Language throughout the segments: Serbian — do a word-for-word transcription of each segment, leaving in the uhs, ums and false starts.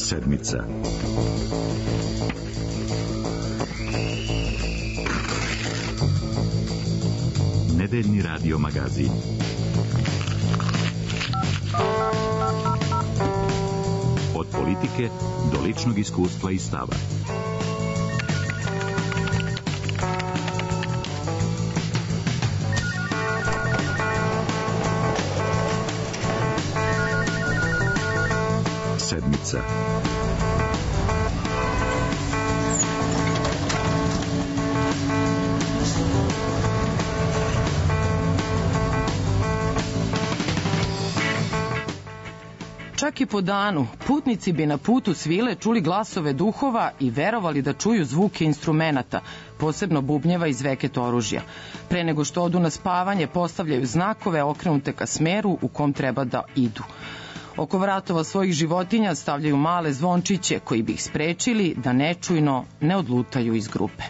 Sedmica. Nedeljni radio magazin. Od politike do ličnog iskustva i stava. Sedmica. Čak i po danu, putnici bi na putu svile čuli glasove duhova i verovali da čuju zvuke instrumenata, posebno bubnjeva i zveket oružja. Pre nego što odu na spavanje, postavljaju znakove okrenute ka smeru u kom treba da idu. Oko vratova svojih životinja stavljaju male zvončiće koji bi ih sprečili da nečujno ne odlutaju iz grupe.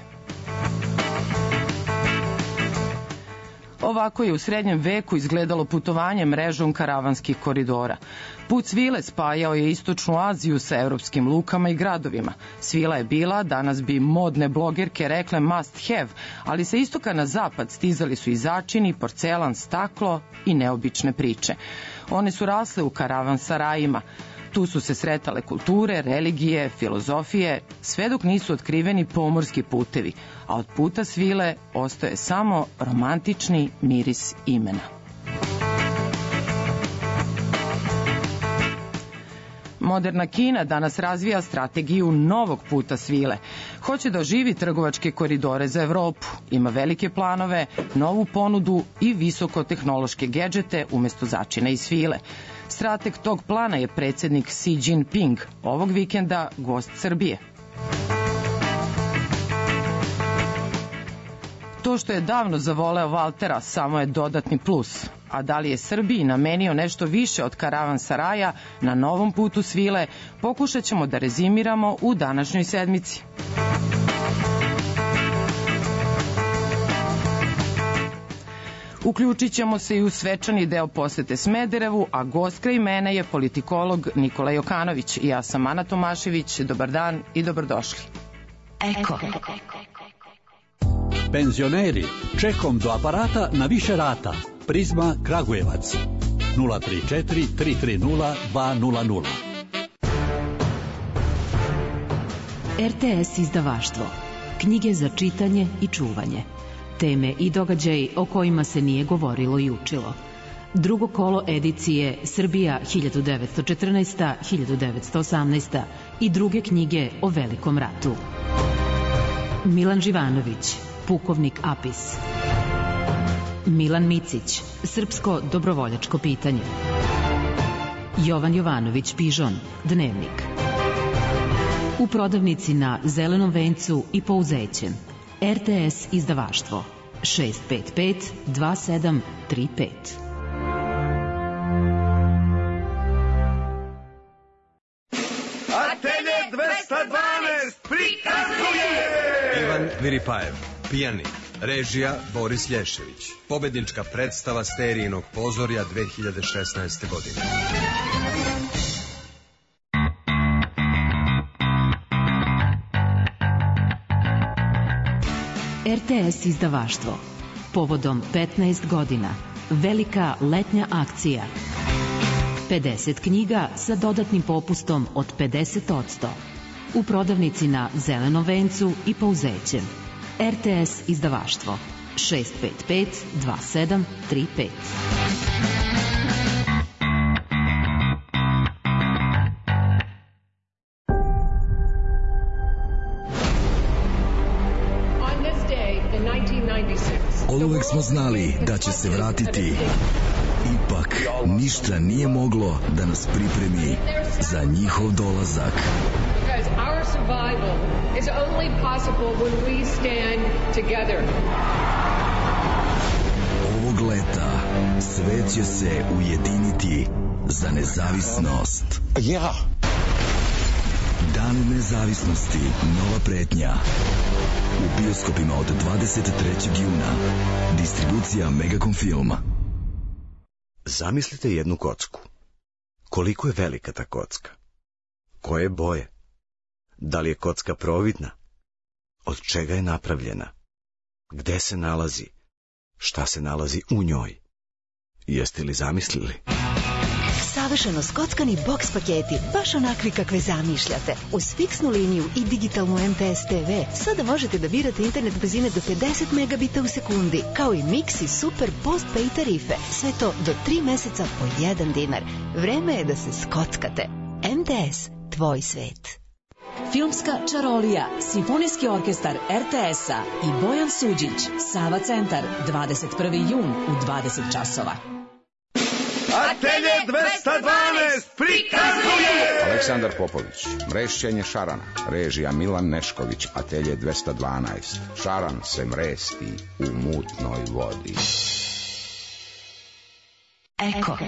Ovako je u srednjem veku izgledalo putovanje mrežom karavanskih koridora. Put svile spajao je istočnu Aziju sa evropskim lukama i gradovima. Svila je bila, danas bi modne blogerke rekle must have, ali sa istoka na zapad stizali su i začini, porcelan, staklo i neobične priče. One su rasle u karavan sarajima. Tu su se sretale kulture, religije, filozofije, sve dok nisu otkriveni pomorski putevi, a od puta svile ostaje samo romantični miris imena. Moderna Kina danas razvija strategiju novog puta svile. Hoće da oživi trgovačke koridore za Evropu. Ima velike planove, novu ponudu i visokotehnološke gedžete umesto začina i svile. Strateg tog plana je predsednik Xi Jinping, ovog vikenda gost Srbije. To što je davno zavoleo Valtera samo je dodatni plus. A da li je Srbiji namenio nešto više od karavan saraja na novom putu svile, pokušat ćemo da rezimiramo u današnjoj sedmici. Uključit ćemo se i u svečani deo posete Smederevu, a gost kraj mene je politikolog Nikola Jokanović. Ja sam Ana Tomašević. Dobar dan i dobrodošli. Eko. Penzioneri, čekom do aparata na više rata. Prizma Kragujevac. nula tri četiri tri tri nula dva nula nula. R T S izdavaštvo. Knjige za čitanje i čuvanje. Teme i događaji o kojima se nije govorilo i učilo. Drugo kolo edicije Srbija hiljadu devetsto četrnaesta do hiljadu devetsto osamnaesta. i druge knjige o Velikom ratu. Milan Živanović, pukovnik Apis. Milan Micić, srpsko dobrovoljačko pitanje. Jovan Jovanović Pižon, dnevnik. U prodavnici na Zelenom vencu i Pouzećem. R T S izdavaštvo šest pet pet dva sedam tri pet. Atelje dvesta dvanaest prikazuje Ivan Viripajev, pijanik. Režija Boris Lješević. Pobednička predstava Sterijinog pozorja dve hiljade šesnaeste. godine. R T S izdavaštvo. Povodom petnaest godina. Velika letnja akcija. pedeset knjiga sa dodatnim popustom od pedeset posto. U prodavnici na Zelenom vencu i Pouzećem. R T S izdavaštvo šest pet pet dva sedam tri pet. Oduvek smo znali da će se vratiti. Ipak, ništa nije moglo da nas pripremi za njihov dolazak. Ovog leta svet će se ujediniti za nezavisnost. Ja. Dan nezavisnosti, nova pretnja. U bioskopima od dvadeset trećeg juna. Distribucija Megacom Filma. Zamislite jednu kocku. Koliko je velika ta kocka? Koje boje? Da li je kocka providna? Od čega je napravljena? Gde se nalazi? Šta se nalazi u njoj? Jeste li zamislili? Savršeno skockani boks paketi, baš onakvi kakve zamišljate. Uz fiksnu liniju i digitalnu M T S T V sada možete da birate internet brzine do pedeset megabita u sekundi, kao i mix i super post-pay tarife. Sve to do tri meseca po jedan dinar. Vreme je da se skockate. M T S, tvoj svet. Filmska čarolija, Simfonijski orkestar R T S-a i Bojan Suđić, Sava centar, dvadeset prvi jun u dvadeset časova. Atelje dvesta dvanaest prikazuje Aleksandar Popović, Mrešćenje šarana, režija Milan Nešković. Atelje dvesta dvanaest, šaran se mresti u mutnoj vodi. Eko.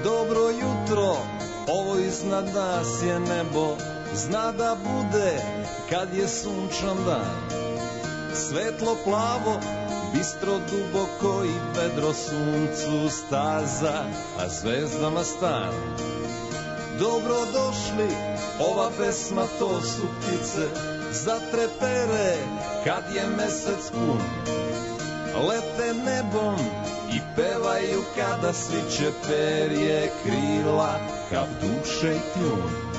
Dobro jutro, ovo iznad nas je nebo, zna da bude kad je sunčan dan. Svetlo plavo, bistro duboko i vedro suncu staza, a zvezdama stan. Dobro došli, ova pesma to su ptice, zatrepere kad je mesec pun. Lete nebom i pevaju kada sviće perje krila, kao duše i kljun.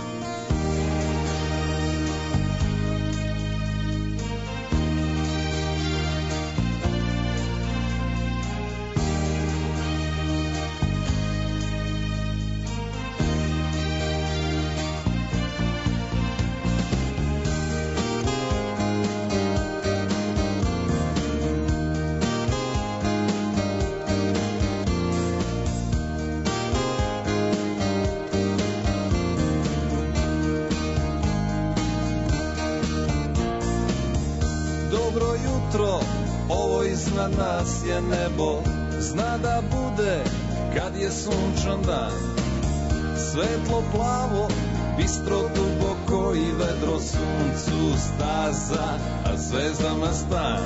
Nas je nebo, zna da bude kad je sunčan dan. Svetlo plavo, bistro duboko i vedro suncu staza, a zvezdama stan.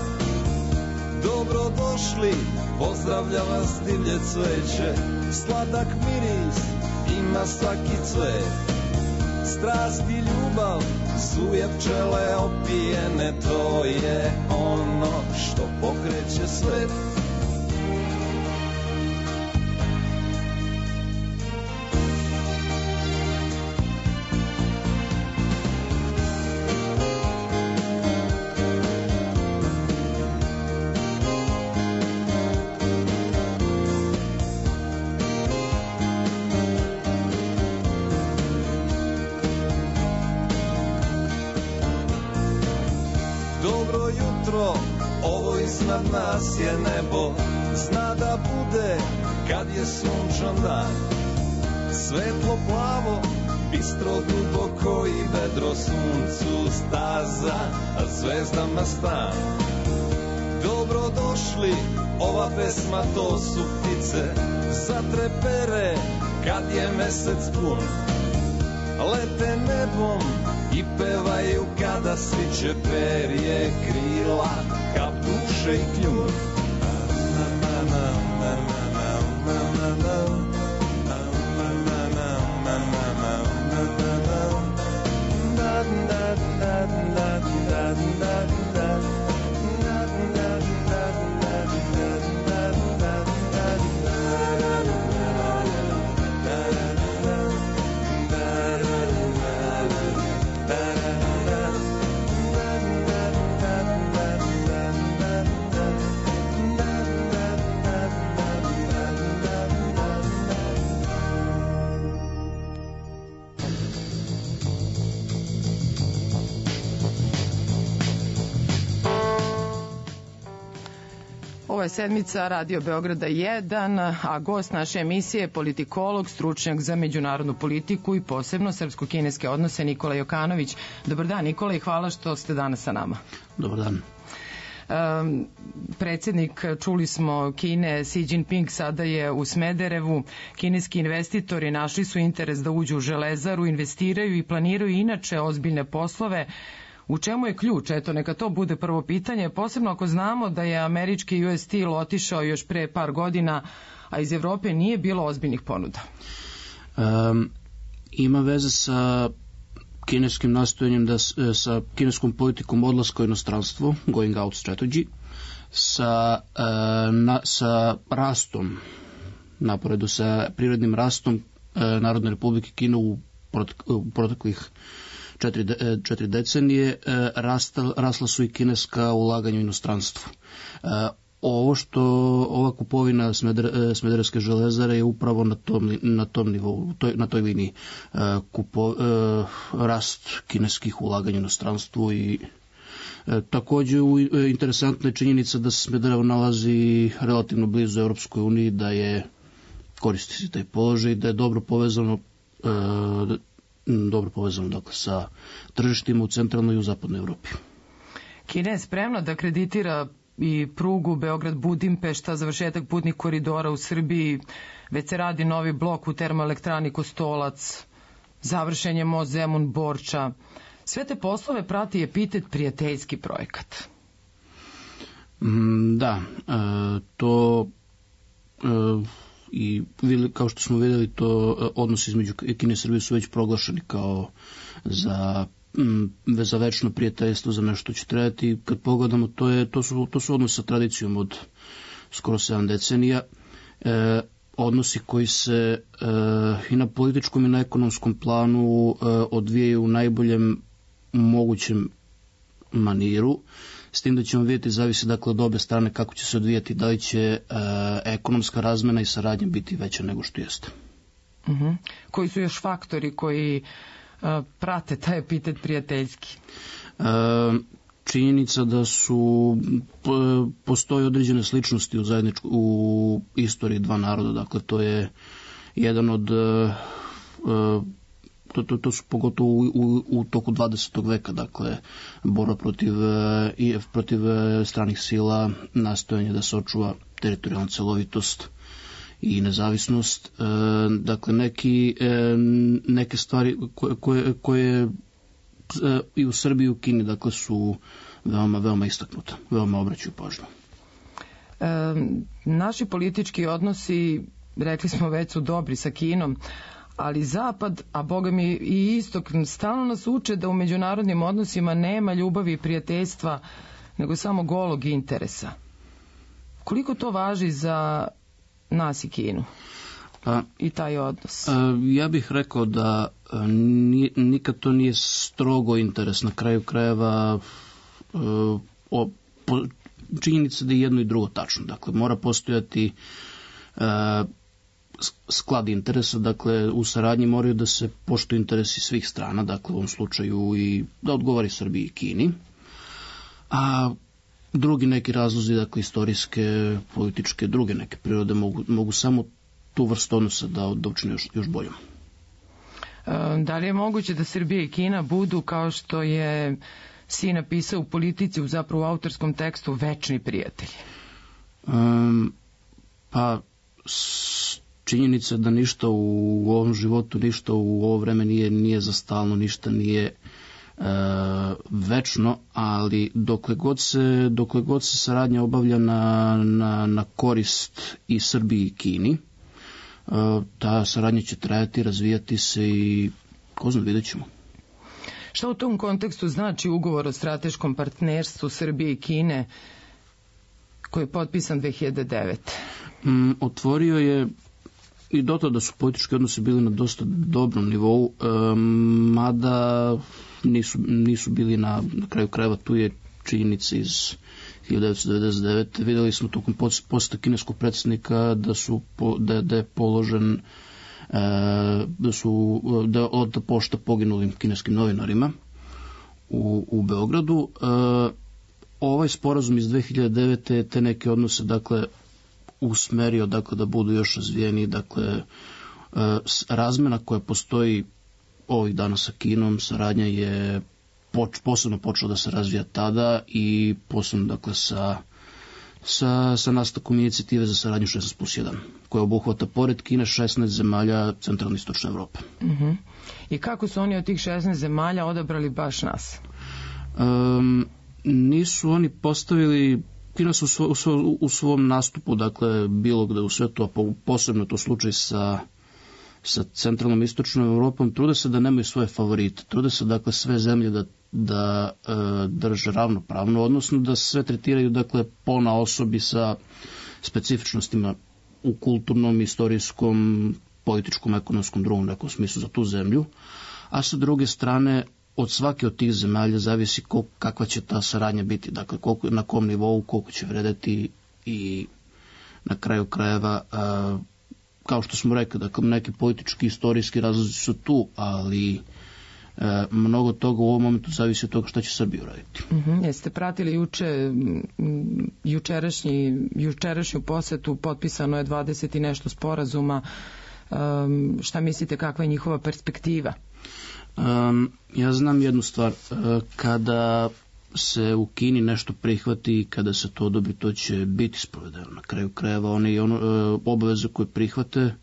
Dobro došli, pozdravlja vas divlje cveće, sladak miris ima svaki cvet. Strast i ljubav, suje pčele opijene, to je ono što pokreće svet. Nas je nebo, zna da bude kad je sunčan dan. Svetlo plavo, bistro duboko i vedro suncu staza, a zvezdama stan. Dobro došli, ova pesma to su ptice, zatrepere kad je mesec pun. Lete nebom i pevaju kada sviće perje krila, kao duše i kljun. Ovo je sedmica Radio Beograda jedan, a gost naše emisije je politikolog, stručnjak za međunarodnu politiku i posebno srpsko-kineske odnose Nikola Jokanović. Dobar dan, Nikola, i hvala što ste danas sa nama. Dobar dan. Um, predsjednik, čuli smo, Kine, Xi Jinping sada je u Smederevu. Kineski investitori našli su interes da uđu u Železaru, investiraju i planiraju inače ozbiljne poslove U čemu je ključ? Eto, neka to bude prvo pitanje, posebno ako znamo da je američki U S Steel otišao još pre par godina, a iz Evrope nije bilo ozbiljnih ponuda. Um, ima veze sa kineskim nastojanjem, da, sa kineskom politikom odlaska u inostranstvo, going out strategy, sa, uh, na, sa rastom, naporedu sa prirodnim rastom uh, Narodne republike Kine u, prot, u proteklih četiri, de, četiri decenije, uh, rasta, rasla su i kineska ulaganja u inostranstvo. Uh, Ovo što, ova kupovina Smeder, Smederevske železare je upravo na tom, na tom nivou, toj, na toj liniji. Kupo, rast kineskih ulaganja u inostranstvu i takođe interesantna je činjenica da se Smederevo nalazi relativno blizu Europskoj uniji, da je koristi se taj položaj, da je dobro povezano dobro povezano dakle, sa tržištima u centralnoj i u zapadnoj Evropi. Kina je spremna da kreditira i prugu Beograd-Budimpešta, završetak putnih koridora u Srbiji, već se radi novi blok u termoelektrani Kostolac, završen je most Zemun-Borča. Sve te poslove prati epitet prijateljski projekat. Mm, da, e, to e, i kao što smo videli, to odnosi između Kine i Srbije su već proglašeni kao za za večno prijateljstvo, za nešto će trebati. Kad pogledamo, to, je, to, su, to su odnosi sa tradicijom od skoro sedam decenija. E, odnosi koji se e, i na političkom i na ekonomskom planu e, odvijaju u najboljem mogućem maniru, s tim da ćemo vidjeti, zavisi dakle od obe strane kako će se odvijati, da li će e, ekonomska razmena i saradnja biti veća nego što jeste. Uh-huh. Koji su još faktori koji prate taj epitet prijateljski? E, činjenica da su postoje određene sličnosti u zajedničku u istoriji dva naroda, dakle to je jedan od to, to, to su pogotovo u, u, u toku dvadesetog veka, dakle borba protiv i protiv stranih sila, nastojanje da se očuva teritorijalna celovitost i nezavisnost, e, dakle neki, e, neke stvari koje, koje, koje e, i u Srbiji i u Kini dakle su veoma, veoma istaknute, veoma obraćaju pažnju. E, naši politički odnosi, rekli smo već, su dobri sa Kinom, ali Zapad, a boga mi i Istok, stalno nas uče da u međunarodnim odnosima nema ljubavi i prijateljstva, nego samo golog interesa. Koliko to važi za nas i Kinu pa, i taj odnos? Ja bih rekao da nikad to nije strogo interes. Na kraju krajeva o, po, činjenica da je jedno i drugo tačno. Dakle, mora postojati sklad interesa, dakle u saradnji moraju da se poštuju interesi svih strana, dakle u ovom slučaju i da odgovori Srbiji i Kini. A drugi neki razlozi, dakle istorijske, političke, druge neke prirode mogu, mogu samo tu vrstu odnosa da, da učine još, još boljom. Da li je moguće da Srbija i Kina budu, kao što je si napisao u Politici, u zapravo u autorskom tekstu, večni prijatelji? Um, pa s, činjenica da ništa u, u ovom životu, ništa u ovo vreme nije, nije za stalno, ništa nije E, večno, ali dokle god se, dokle god se saradnja obavlja na, na, na korist i Srbiji i Kini, e, ta saradnja će trajati, razvijati se i ko zna, vidjet ćemo. Šta u tom kontekstu znači ugovor o strateškom partnerstvu Srbije i Kine koji je potpisan dve hiljade devete. Mm, otvorio je i do tada su politički odnosi bili na dosta dobrom nivou, e, mada nisu, nisu bili na, na kraju krajeva. Tu je činjenica iz hiljadu devetsto devedeset devete. Videli smo tokom poseta kineskog predsjednika da su da, da je položen e, da su da od pošta poginulim kineskim novinarima u, u Beogradu. E, ovaj sporazum iz dve hiljade devete te neke odnose dakle usmerio dakle da budu još razvijeni, dakle e, razmena koja postoji ovih dana sa Kinom, saradnja je poč, posebno počela da se razvija tada i posebno dakle sa, sa, sa nastavkom inicijative za saradnju šesnaest plus jedan, koja obuhvata pored Kine šesnaest zemalja centralne i istočne Evrope. Uh-huh. I kako su oni od tih šesnaest zemalja odabrali baš nas? Um, nisu oni postavili, Kina su u, svo, u, svo, u svom nastupu, dakle, bilo gde u svetu, a posebno to slučaj sa, sa centralnom istočnom Evropom, trude se da nemaju svoje favorite, trude se, dakle, sve zemlje da, da e, drže ravnopravno, odnosno da sve tretiraju, dakle, pona osobi sa specifičnostima u kulturnom, istorijskom, političkom, ekonomskom, drugom nekom smislu za tu zemlju, a sa druge strane od svake od tih zemalja zavisi koliko, kakva će ta saradnja biti, dakle koliko, na kom nivou, koliko će vredeti i na kraju krajeva, a, kao što smo rekli, dakle neki politički, istorijski razlozi su tu, ali a, mnogo toga u ovom momentu zavisi od toga šta će Srbija uraditi. Uh-huh. Jeste pratili juče, jučerašnji, jučerašnju posetu, potpisano je dvadeset i nešto sporazuma, um, šta mislite kakva je njihova perspektiva? Um, ja znam jednu stvar, kada se u Kini nešto prihvati i kada se to odobri, to će biti sprovedeno. Na kraju krajeva one i ono, obaveze koje prihvate,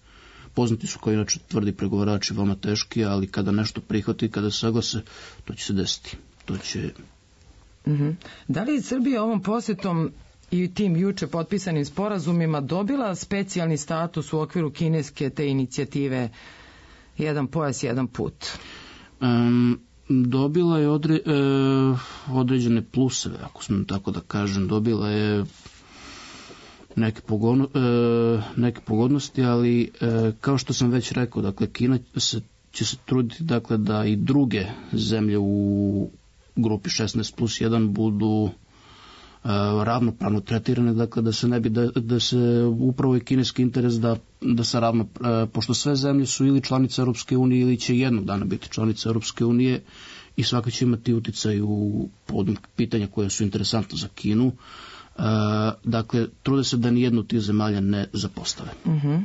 poznati su kao inače tvrdi pregovarači, veoma teški, ali kada nešto prihvati, kada se saglase, to će se desiti. To će... Uh-huh. Da li je Srbija ovom posjetom i tim juče potpisanim sporazumima dobila specijalni status u okviru kineske te inicijative jedan pojas, jedan put? Um, dobila je odre, e, određene pluseve, ako smijem tako da kažem, dobila je neke, pogodno, e, neke pogodnosti, ali e, kao što sam već rekao, dakle, Kina se, će se truditi, dakle, da i druge zemlje u grupi šesnaest plus jedan budu ravnopravno tretirane, dakle da se ne bi da, da se upravo je kineski interes da, da se ravno, pošto sve zemlje su ili članice Europske unije ili će jednog dana biti članice Europske unije i svaka će imati uticaj u povodom pitanja koje su interesantne za Kinu. Uh, dakle, trude se da nijednu od tih zemalja ne zapostave. Uh-huh.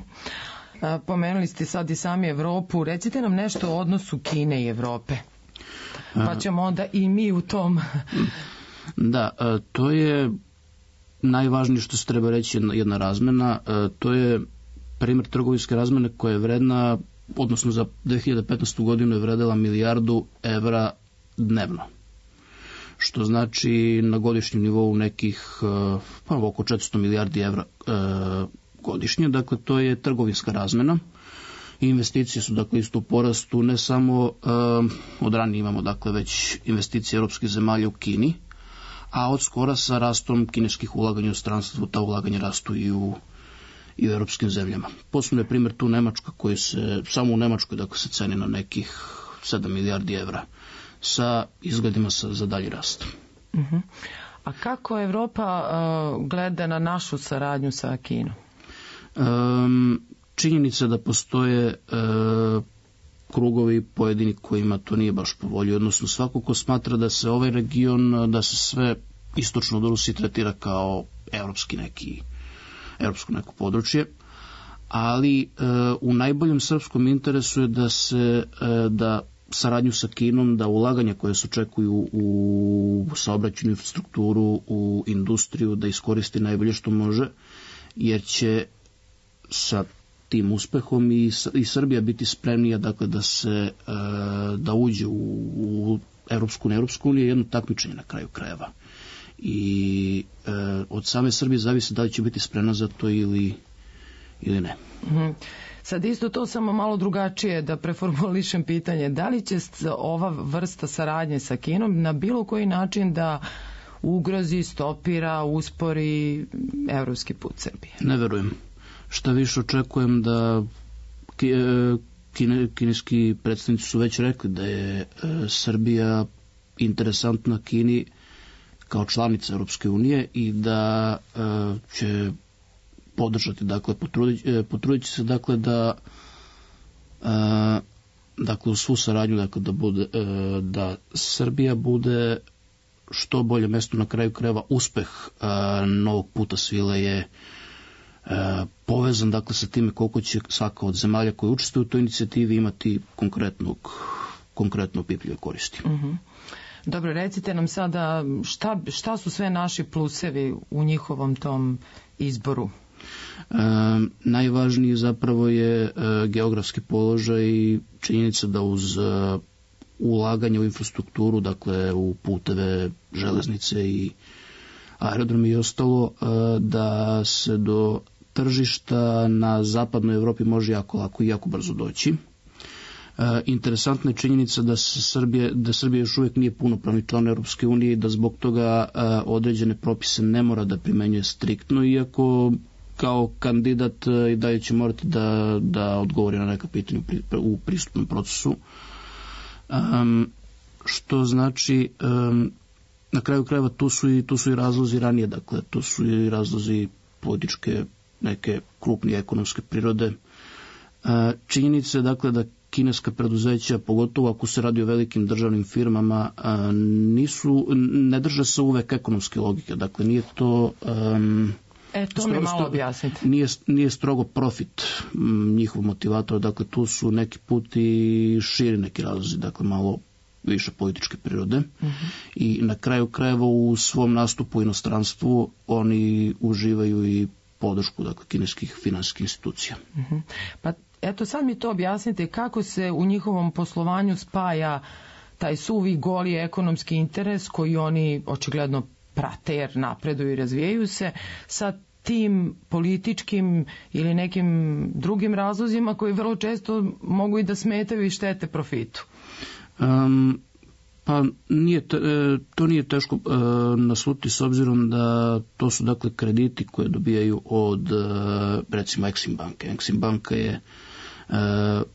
A, pomenuli ste sad i sami Evropu, recite nam nešto o odnosu Kine i Evrope, pa ćemo onda i mi u tom... Da, to je najvažnije što se treba reći jedna, jedna razmena, to je primjer trgovinske razmene koja je vredna, odnosno za dve hiljade petnaestu godinu je vredela milijardu evra dnevno, što znači na godišnjem nivou nekih pa, oko četiristo milijardi evra e, godišnje, dakle to je trgovinska razmena. Investicije su dakle isto u porastu, ne samo e, od ranije imamo dakle već investicije europskih zemalja u Kini, a od skora sa rastom kineskih ulaganja u stranstvu, ta ulaganja rastu i u, i u europskim zemljama. Posebno je primjer tu Nemačka, koji se, samo u Nemačkoj dakle, se ceni na nekih sedam milijardi evra, sa izgledima sa, za dalji rast. Uh-huh. A kako Evropa uh, gleda na našu saradnju sa Kinom? Um, činjenica da postoje uh, krugovi pojedini kojima to nije baš po volji, odnosno svako ko smatra da se ovaj region, da se sve istočno od Rusije tretira kao evropski neki, evropsko neko područje, ali e, u najboljem srpskom interesu je da se, e, da saradnju sa Kinom, da ulaganja koje se očekuju u saobraćajnu infrastrukturu, u industriju, da iskoristi najbolje što može, jer će sa tim uspehom i, i Srbija biti spremnija dakle da se e, da uđe u, u Evropsku na Evropsku uniju, jedno takmičenje na kraju krajeva. I e, od same Srbije zavisi da li će biti spremna za to ili, ili ne. Mm-hmm. Sad isto to samo malo drugačije da preformulišem pitanje. Da li će ova vrsta saradnje sa Kinom na bilo koji način da ugrozi, stopira, uspori evropski put Srbije? Ne verujem. Šta više očekujem da kine, kineski predstavnici su već rekli da je e, Srbija interesantna Kini kao članica Europske unije i da e, će podržati, dakle potrudit, e, potrudit će se dakle da e, dakle u svu saradnju dakle da bude e, da Srbija bude što bolje mesto, na kraju krajeva uspeh e, novog puta svile je E, povezan dakle sa time koliko će svaka od zemalja koje učestvuju u toj inicijativi imati konkretnog, konkretno opipljive koristi. Uh-huh. Dobro, recite nam sada šta, šta su sve naši plusevi u njihovom tom izboru? E, najvažniji zapravo je e, geografski položaj i činjenica da uz e, ulaganja u infrastrukturu, dakle u puteve, železnice i aerodromi i ostalo, da se do tržišta na zapadnoj Evropi može jako lako i jako brzo doći. Interesantna je činjenica da se Srbije, da Srbija još uvijek nije punopravni član Europske unije i da zbog toga određene propise ne mora da primenjuje striktno, iako kao kandidat i dalje će morati da, da odgovori na neka pitanja u pristupnom procesu. Um, što znači, um, na kraju krajeva tu su, i, tu su i razlozi ranije, dakle tu su i razlozi političke, neke krupnije ekonomske prirode. Uh, činjenica je dakle da kineska preduzeća, pogotovo ako se radi o velikim državnim firmama, nisu, ne drže se uvek ekonomske logike. Dakle, nije to... Um, e, to mi malo objasnite. Nije, nije strogo profit m, njihov motivator, dakle, tu su neki put i širi neki razlozi, dakle, malo više političke prirode. Uh-huh. I na kraju krajeva u svom nastupu u inostranstvu oni uživaju i podršku, dakle, kineskih finansijskih institucija. Uh-huh. Pa eto, sad mi to objasnite, kako se u njihovom poslovanju spaja taj suvi goli ekonomski interes koji oni očigledno prate jer napreduju i razvijaju se sa tim političkim ili nekim drugim razlozima koji vrlo često mogu i da smetaju i štete profitu. Um, pa nije te, to nije teško uh, nasluti s obzirom da to su dakle krediti koje dobijaju od uh, recimo Exim banke. Exim banka je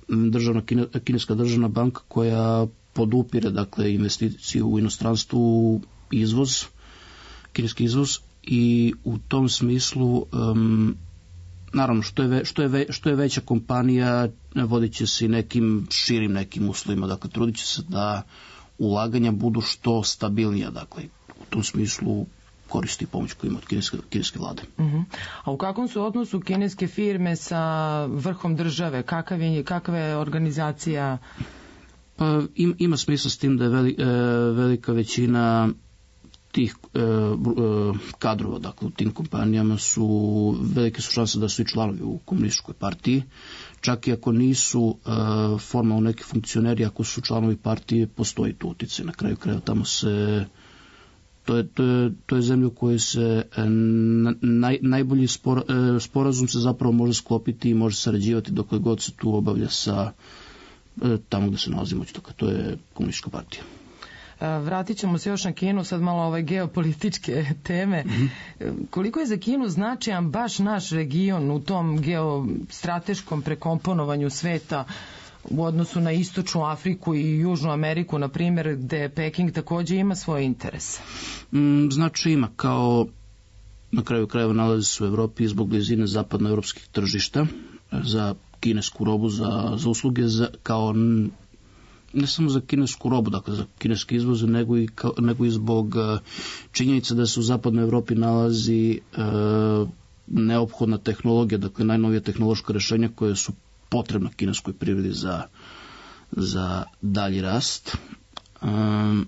državna, kineska državna banka koja podupire dakle investiciju u inostranstvu, izvoz, kineski izvoz, i u tom smislu um, naravno što je, ve, što, je ve, što je veća kompanija vodit će se i nekim širim nekim uslovima, dakle trudit će se da ulaganja budu što stabilnija, dakle u tom smislu koristi pomoć koju ima od kineske, kineske vlade. Uh-huh. A u kakvom su odnosu kineske firme sa vrhom države? Kakav je, kakva je organizacija? Pa im, ima smisla s tim da je veli, e, velika većina tih e, e, kadrova, dakle u tim kompanijama su, velike su šanse da su i članovi u komunističkoj partiji. Čak i ako nisu e, formalno neki funkcioneri, ako su članovi partije, postoji tu utjecaj. Na kraju kraja tamo se To je, to, je, to je zemlja u kojoj se naj, najbolji spor, sporazum se zapravo može sklopiti i može sarađivati dokle god se tu obavlja sa tamo gde se nalazi moć. To je komunistička partija. Vratit ćemo se još na Kinu, sad malo ove geopolitičke teme. Mm-hmm. Koliko je za Kinu značajan baš naš region u tom geostrateškom prekomponovanju sveta u odnosu na Istočnu Afriku i Južnu Ameriku, na primjer, gde Peking također ima svoje interese? Mm, znači ima, kao na kraju krajeva nalazi se u Evropi zbog blizine zapadnoevropskih tržišta za kinesku robu, za, za usluge, za, kao ne samo za kinesku robu, dakle za kineske izvoze, nego i, kao, nego i zbog uh, činjenice da se u zapadnoj Evropi nalazi uh, neophodna tehnologija, dakle najnovija tehnološka rješenja koje su potrebna kineskoj privredi za, za dalji rast. Um,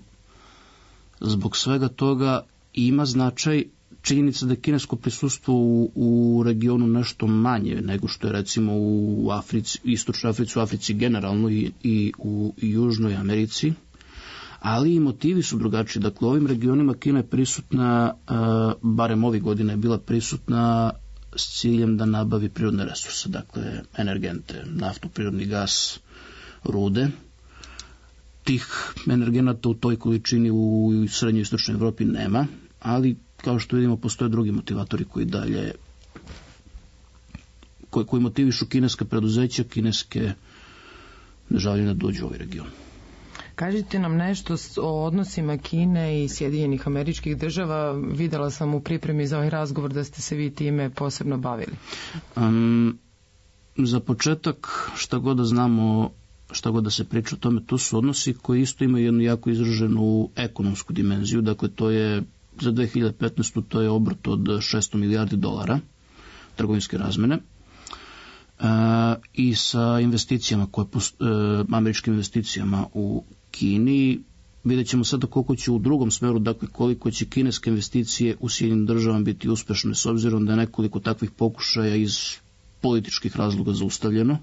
zbog svega toga ima značaj činjenica da je kinesko prisustvo u, u regionu nešto manje nego što je recimo u Africi, Istočnoj Africi, u Africi generalno i, i u i Južnoj Americi, ali i motivi su drugačiji. Dakle, u ovim regionima Kina je prisutna, uh, barem ovih godina je bila prisutna s ciljem da nabavi prirodne resurse, dakle energente, naftu, prirodni gas, rude. Tih energenata u toj količini u srednjoj i istočnoj Evropi nema, ali kao što vidimo postoje drugi motivatori koji dalje koji, koji motivišu kineske preduzeća, kineske neželjene da dođu u ovaj region. Kažite nam nešto o odnosima Kine i Sjedinjenih Američkih Država. Videla sam u pripremi za ovaj razgovor da ste se vi time posebno bavili. Um, za početak, šta god da znamo, šta god da se priča o tome, to su odnosi koji isto imaju jednu jako izraženu ekonomsku dimenziju. Dakle, to je za dve hiljade petnaestu to je obrt od šesto milijardi dolara trgovinske razmene. Uh, i sa investicijama koje post, uh, američkim investicijama u Kini. Vidjet ćemo sada koliko će u drugom smeru, dakle koliko će kineske investicije u Sjedinjenim Državama biti uspešne, s obzirom da je nekoliko takvih pokušaja iz političkih razloga zaustavljeno,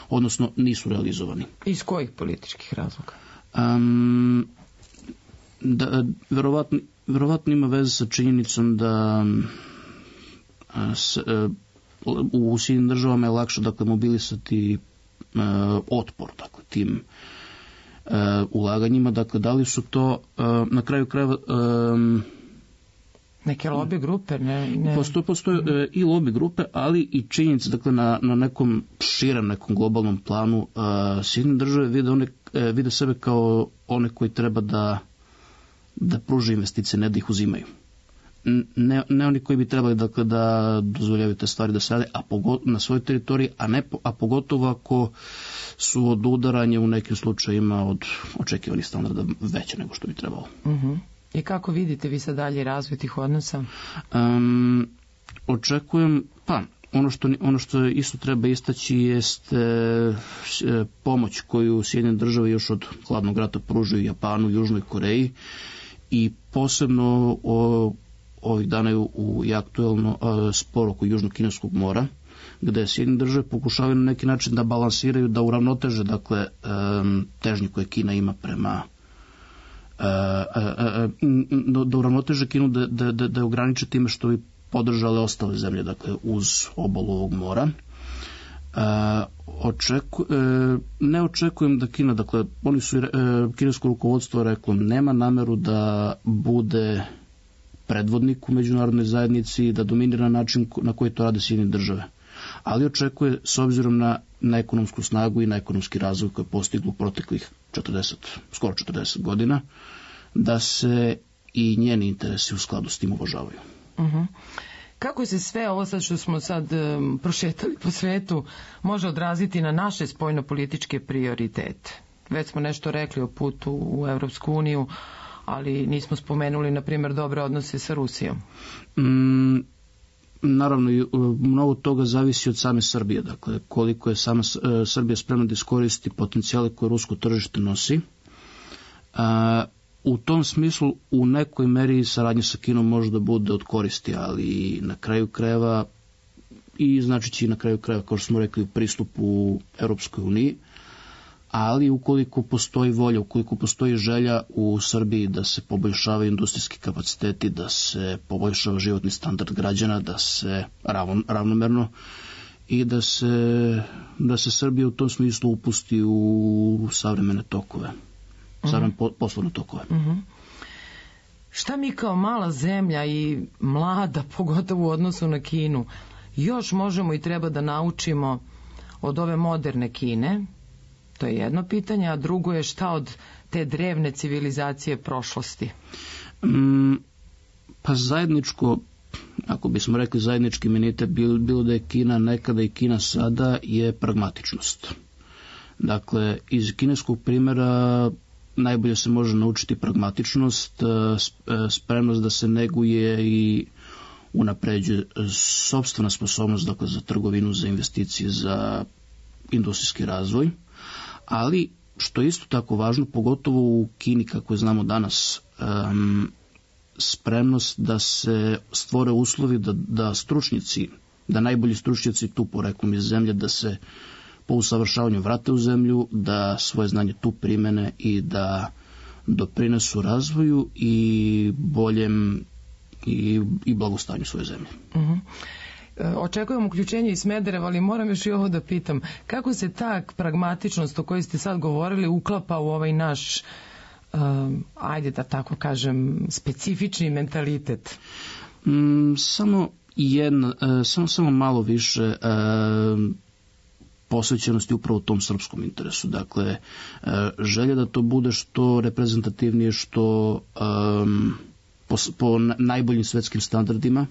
odnosno nisu realizovani. Iz kojih političkih razloga? Um, da, verovatno, verovatno ima veze sa činjenicom da s, u Sjedinjenim državama je lakše, dakle, mobilisati uh, otpor, dakle, tim uh, ulaganjima. Dakle, da li su to uh, na kraju krajeva um, neke lobby grupe? Ne, ne. Postoje, postoje uh, i lobby grupe, ali i činjenice, dakle, na, na nekom širem, nekom globalnom planu uh, Sjedinjene države vide, one, uh, vide sebe kao one koji treba da da pruže investicije, ne da ih uzimaju. Ne, ne oni koji bi trebali, dakle, da dozvoljavaju te stvari da se rade, a pogotovo na svojoj teritoriji, a, ne, a pogotovo ako su od udaranja u nekim slučajima od očekivanih standarda veće nego što bi trebalo. Uh-huh. I kako vidite vi sad dalje razvoj tih odnosa? Um, očekujem, pa, ono što, ono što isto treba istaći jeste e, pomoć koju Sjedinjene države još od hladnog rata pružaju Japanu, Južnoj Koreji, i posebno o, ovih dana je u, i aktuelno e, spor oko Južnog Kineskog mora, gde Sjedinjene države pokušavaju na neki način da balansiraju, da uravnoteže, dakle, e, težnje koje Kina ima prema e, e, e, da uravnoteže Kinu, da, da, da, da je ograniče time što bi podržale ostale zemlje, dakle, uz obalu ovog mora. E, očeku, e, ne očekujem da Kina, dakle, oni su, e, kinesko rukovodstvo reklo, nema nameru da bude predvodnik u međunarodnoj zajednici, da dominira način na koji to rade Sjedinjene države. Ali očekuje, s obzirom na, na ekonomsku snagu i na ekonomski razvoj koji je postiglo proteklih četrdeset, skoro četrdeset godina, da se i njeni interesi u skladu s tim uvažavaju. Uh-huh. Kako se sve ovo sad što smo sad um, prošetali po svetu može odraziti na naše spoljnopolitičke prioritete? Već smo nešto rekli o putu u Evropsku uniju, ali nismo spomenuli, na primjer, dobre odnose sa Rusijom. Mm, naravno, mnogo toga zavisi od same Srbije. Dakle, koliko je sama Srbija spremna da iskoristi potencijale koje rusko tržište nosi. A, U tom smislu, u nekoj meri saradnja sa Kinom može da bude od koristi, ali na kraju krajeva, i znači će i na kraju krajeva, kao što smo rekli, pristup u Europskoj uniji, ali ukoliko postoji volja, ukoliko postoji želja u Srbiji da se poboljšavaju industrijski kapaciteti, da se poboljšava životni standard građana, da se ravno, ravnomerno i da se, da se Srbija u tom smislu upusti u savremene tokove. Zavrame uh-huh. poslovne tokove. Uh-huh. Šta mi kao mala zemlja i mlada, pogotovo u odnosu na Kinu, još možemo i treba da naučimo od ove moderne Kine? To je jedno pitanje, a drugo je šta od te drevne civilizacije prošlosti? Mm, pa zajedničko, ako bismo rekli zajednički imenitet, bilo, bilo da je Kina nekada i Kina sada, je pragmatičnost. Dakle, iz kineskog primjera najbolje se može naučiti pragmatičnost, spremnost da se neguje i unapređuje sopstvena sposobnost, dakle, za trgovinu, za investicije, za industrijski razvoj, ali što je isto tako važno, pogotovo u Kini, kako je znamo danas, um, spremnost da se stvore uslovi da, da stručnjaci, da najbolji stručnjaci tu poreklom iz zemlje, da se po usavršavanju vrate u zemlju, da svoje znanje tu primene i da doprinesu razvoju i boljem i, i blagostanju svoje zemlje. Uh-huh. Očekujem uključenje iz Smedereva, ali moram još i ovo da pitam. Kako se ta pragmatičnost o kojoj ste sad govorili uklapa u ovaj naš, um, ajde da tako kažem, specifični mentalitet? Mm, samo, jedna, uh, samo, samo malo više uh, posvećenosti upravo tom srpskom interesu. Dakle, želja da to bude što reprezentativnije, što um, po, po najboljim svetskim standardima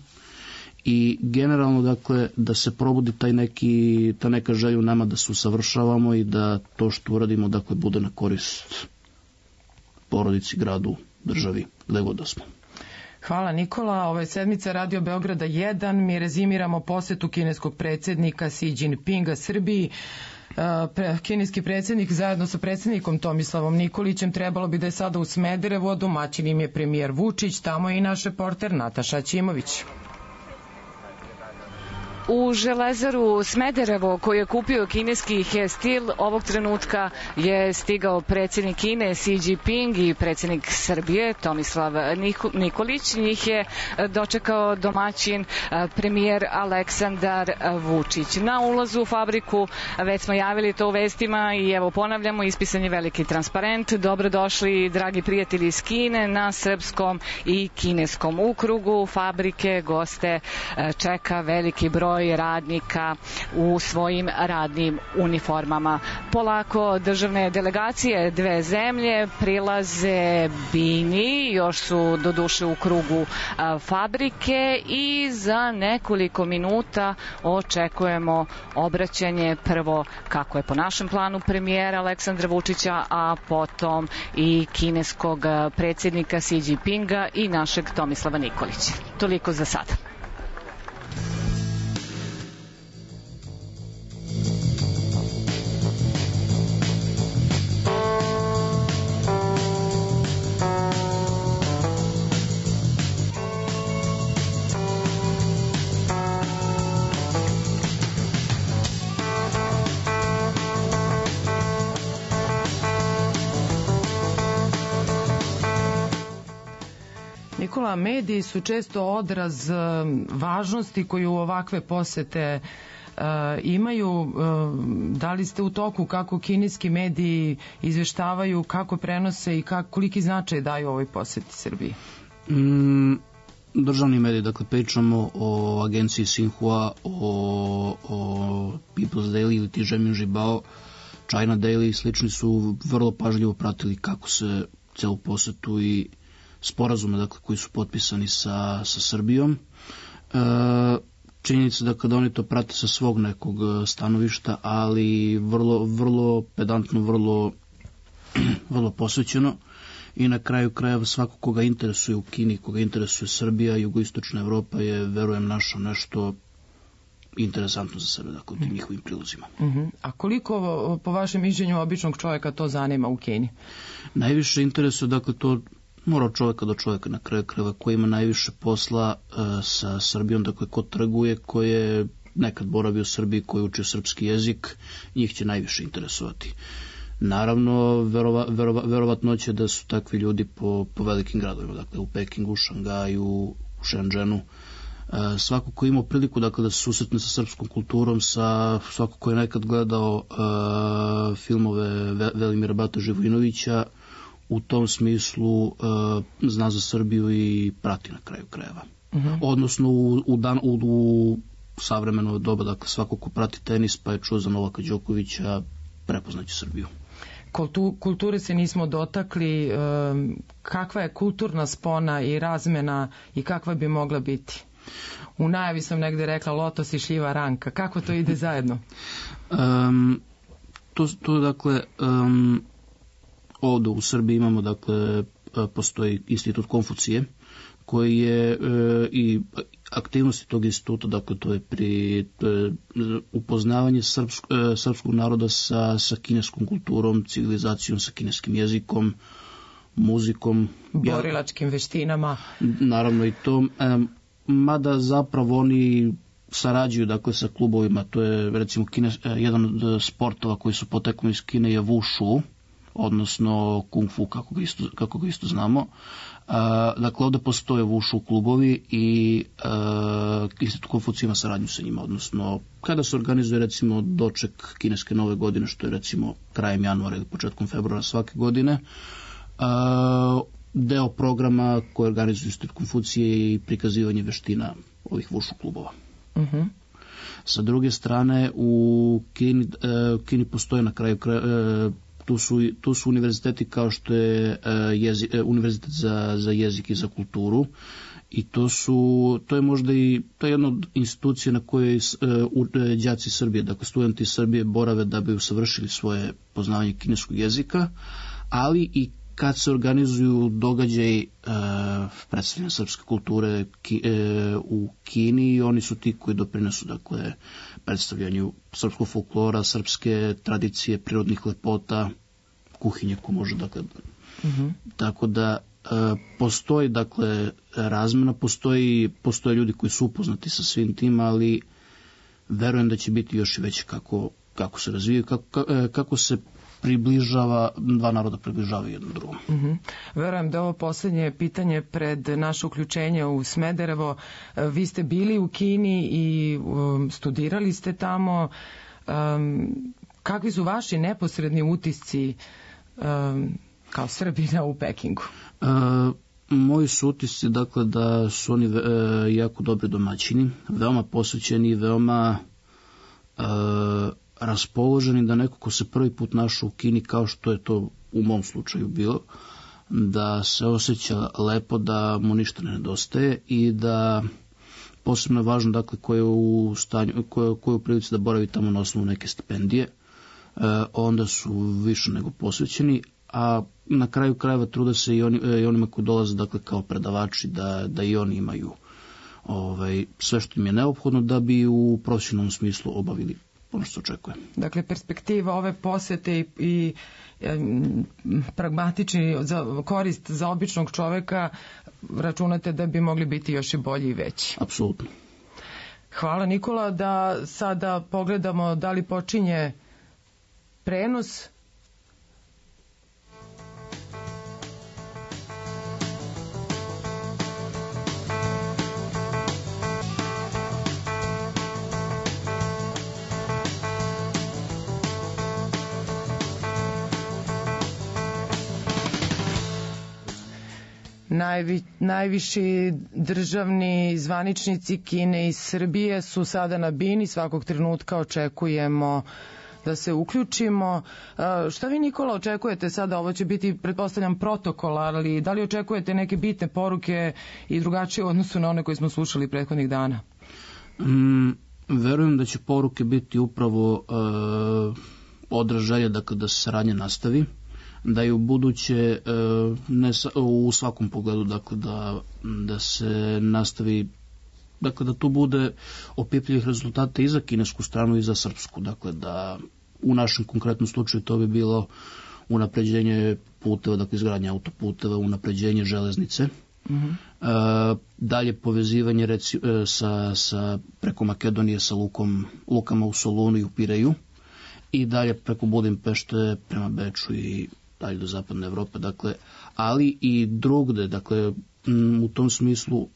i generalno, dakle, da se probudi taj neki, ta neka želja u nama da se usavršavamo i da to što uradimo, dakle, bude na korist porodici, gradu, državi, gde god da smo. Hvala Nikola. Ovo je sedmica Radio Beograda jedan. Mi rezimiramo posetu kineskog predsjednika Xi Jinpinga Srbiji. Kineski predsjednik zajedno sa predsjednikom Tomislavom Nikolićem trebalo bi da je sada u Smederevu, a domaćin im je premijer Vučić. Tamo je i naš reporter Nataša Ćimović. U Železaru Smederevo, koju je kupio kineski Hestil, ovog trenutka je stigao predsjednik Kine Xi Jinping i predsjednik Srbije Tomislav Nikolić. Njih je dočekao domaćin premijer Aleksandar Vučić. Na ulazu u fabriku, već smo javili to u vestima i evo ponavljamo, ispisan je veliki transparent. Dobrodošli, dragi prijatelji iz Kine, na srpskom i kineskom ukrugu fabrike. Goste čeka veliki broj radnika u svojim radnim uniformama. Polako državne delegacije dve zemlje prilaze bini, još su doduše u krugu fabrike i za nekoliko minuta očekujemo obraćanje prvo, kako je po našem planu, premijera Aleksandra Vučića, a potom i kineskog predsjednika Xi Jinpinga i našeg Tomislava Nikolića. Toliko za sada. Nikola, mediji su često odraz važnosti koju ovakve posete uh, imaju. Uh, da li ste u toku kako kineski mediji izveštavaju, kako prenose i kak, koliki značaj daju ovoj poseti Srbiji? Mm, državni mediji, dakle pričamo o agenciji Xinhua, o, o People's Daily ili ti Zhemin Zhibao, China Daily i slični su vrlo pažljivo pratili kako se celu posetu i sporazume, dakle, koji su potpisani sa, sa Srbijom. E, činjenica da kada oni to prate sa svog nekog stanovišta, ali vrlo, vrlo pedantno, vrlo, vrlo posvećeno i na kraju krajeva svako koga interesuje u Kini, koga interesuje Srbija, jugoistočna Evropa je, verujem, našao nešto interesantno za sebe, dakle, u tim njihovim prilozima. Uh-huh. A koliko, po vašem mišljenju, običnog čovjeka to zanima u Kini? Najviše interesuje, dakle, to mora od čovjeka do čovjeka na kraju krajeva, koji ima najviše posla uh, sa Srbijom, dakle ko trguje, ko je nekad boravio u Srbiji, koji učio srpski jezik, njih će najviše interesovati. Naravno, verova, verova, verovatno će da su takvi ljudi po, po velikim gradovima, dakle u Pekingu, Šangaju, u Šenđenu. Uh, svako ko je imao priliku, dakle, da se susretne sa srpskom kulturom, sa svako ko je nekad gledao uh, filmove Velimira Bata Živojinovića, u tom smislu uh, zna za Srbiju i prati na kraju krajeva. Uh-huh. Odnosno u, u, dan, u, u savremeno doba, dakle svako ko prati tenis pa je čuo za Novaka Đokovića, prepoznaće Srbiju. Kultu, kulture se nismo dotakli. Um, kakva je kulturna spona i razmena i kakva bi mogla biti? U najavi sam negde rekla lotos i šljiva ranka. Kako to ide zajedno? Um, to, to dakle... Um, Ovdje u Srbiji imamo, dakle, postoji institut Konfucije, koji je e, i aktivnosti tog instituta, dakle, to je pri e, upoznavanje srpsk, e, srpskog naroda sa, sa kineskom kulturom, civilizacijom, sa kineskim jezikom, muzikom. Borilačkim veštinama. Naravno i to. E, mada zapravo oni sarađuju, dakle, sa klubovima, to je recimo kines, e, jedan od sportova koji su poteklom iz Kine je Wushu, odnosno Kung Fu, kako ga isto, kako ga isto znamo. Uh, dakle, ovdje postoje Wushu klubovi i uh, institut Konfucija ima saradnju sa njima, odnosno kada se organizuje recimo doček kineske nove godine, što je recimo krajem januara ili početkom februara svake godine, uh, deo programa koji organizuje institut Konfucije i prikazivanje veština ovih Wushu klubova. Uh-huh. Sa druge strane, u Kini, uh, Kini postoje na kraju kraja uh, Tu su, tu su univerziteti kao što je uh, jezi, uh, univerzitet za, za jezik i za kulturu i to su, to je možda i, to je jedna od institucija na kojoj uh, đaci Srbije, dakle studenti Srbije borave da bi usavršili svoje poznavanje kineskog jezika, ali i kad se organizuju događaj uh, predstavljanja srpske kulture ki, uh, u Kini, oni su ti koji doprinesu, dakle, predstavljanju srpskog folklora, srpske tradicije, prirodnih lepota, kuhinje ko može, dakle. Uh-huh. Tako da uh, postoji, dakle, razmena, postoji, postoje ljudi koji su upoznati sa svim tim, ali verujem da će biti još i veći kako, kako se razvijaju, kako, kako se približava, dva naroda približavaju jednom drugom. Uh-huh. Verujem da ovo posljednje pitanje pred naše uključenje u Smederevo. Vi ste bili u Kini i um, studirali ste tamo. Um, kakvi su vaši neposredni utisci um, kao Srbina u Pekingu? Uh, moji su utisci, dakle, da su oni uh, jako dobri domaćini, veoma posvećeni, veoma uh, raspoloženi, da neko ko se prvi put našao u Kini, kao što je to u mom slučaju bilo, da se osjeća lepo, da mu ništa ne nedostaje i da posebno je važno, dakle, ko je u stanju, ko je, ko je u prilici da boravi tamo na osnovu neke stipendije, e, onda su više nego posvećeni, a na kraju krajeva trude se i, oni, i onima koji dolaze, dakle, kao predavači, da, da i oni imaju ovaj, sve što im je neophodno da bi u profesionalnom smislu obavili ono što se očekuje. Dakle, perspektiva ove posete i, i e, pragmatični za, korist za običnog čoveka, računate da bi mogli biti još i bolji i veći. Apsolutno. Hvala, Nikola. Da sada pogledamo da li počinje prenos. Najvi, najviši državni zvaničnici Kine i Srbije su sada na bini, svakog trenutka očekujemo da se uključimo. Šta vi, Nikola, očekujete sada? Ovo će biti, pretpostavljam, protokol, ali da li očekujete neke bitne poruke i drugačije u odnosu na one koje smo slušali prethodnih dana? Mm, verujem da će poruke biti upravo uh, odraz želje, dakle, da se saradnja nastavi, da je u buduće ne, u svakom pogledu, dakle, da, da se nastavi, dakle, da tu bude opipljivih rezultata i za kinesku stranu i za srpsku, dakle, da u našem konkretnom slučaju to bi bilo unapređenje puteva, dakle, izgradnje autoputeva, unapređenje železnice, uh-huh. e, dalje povezivanje reci, sa, sa preko Makedonije sa lukom, lukama u Solunu i u Pireju i dalje preko Budimpešte prema Beču i dalje do zapadne Evrope, dakle, ali i drugde, dakle, u tom smislu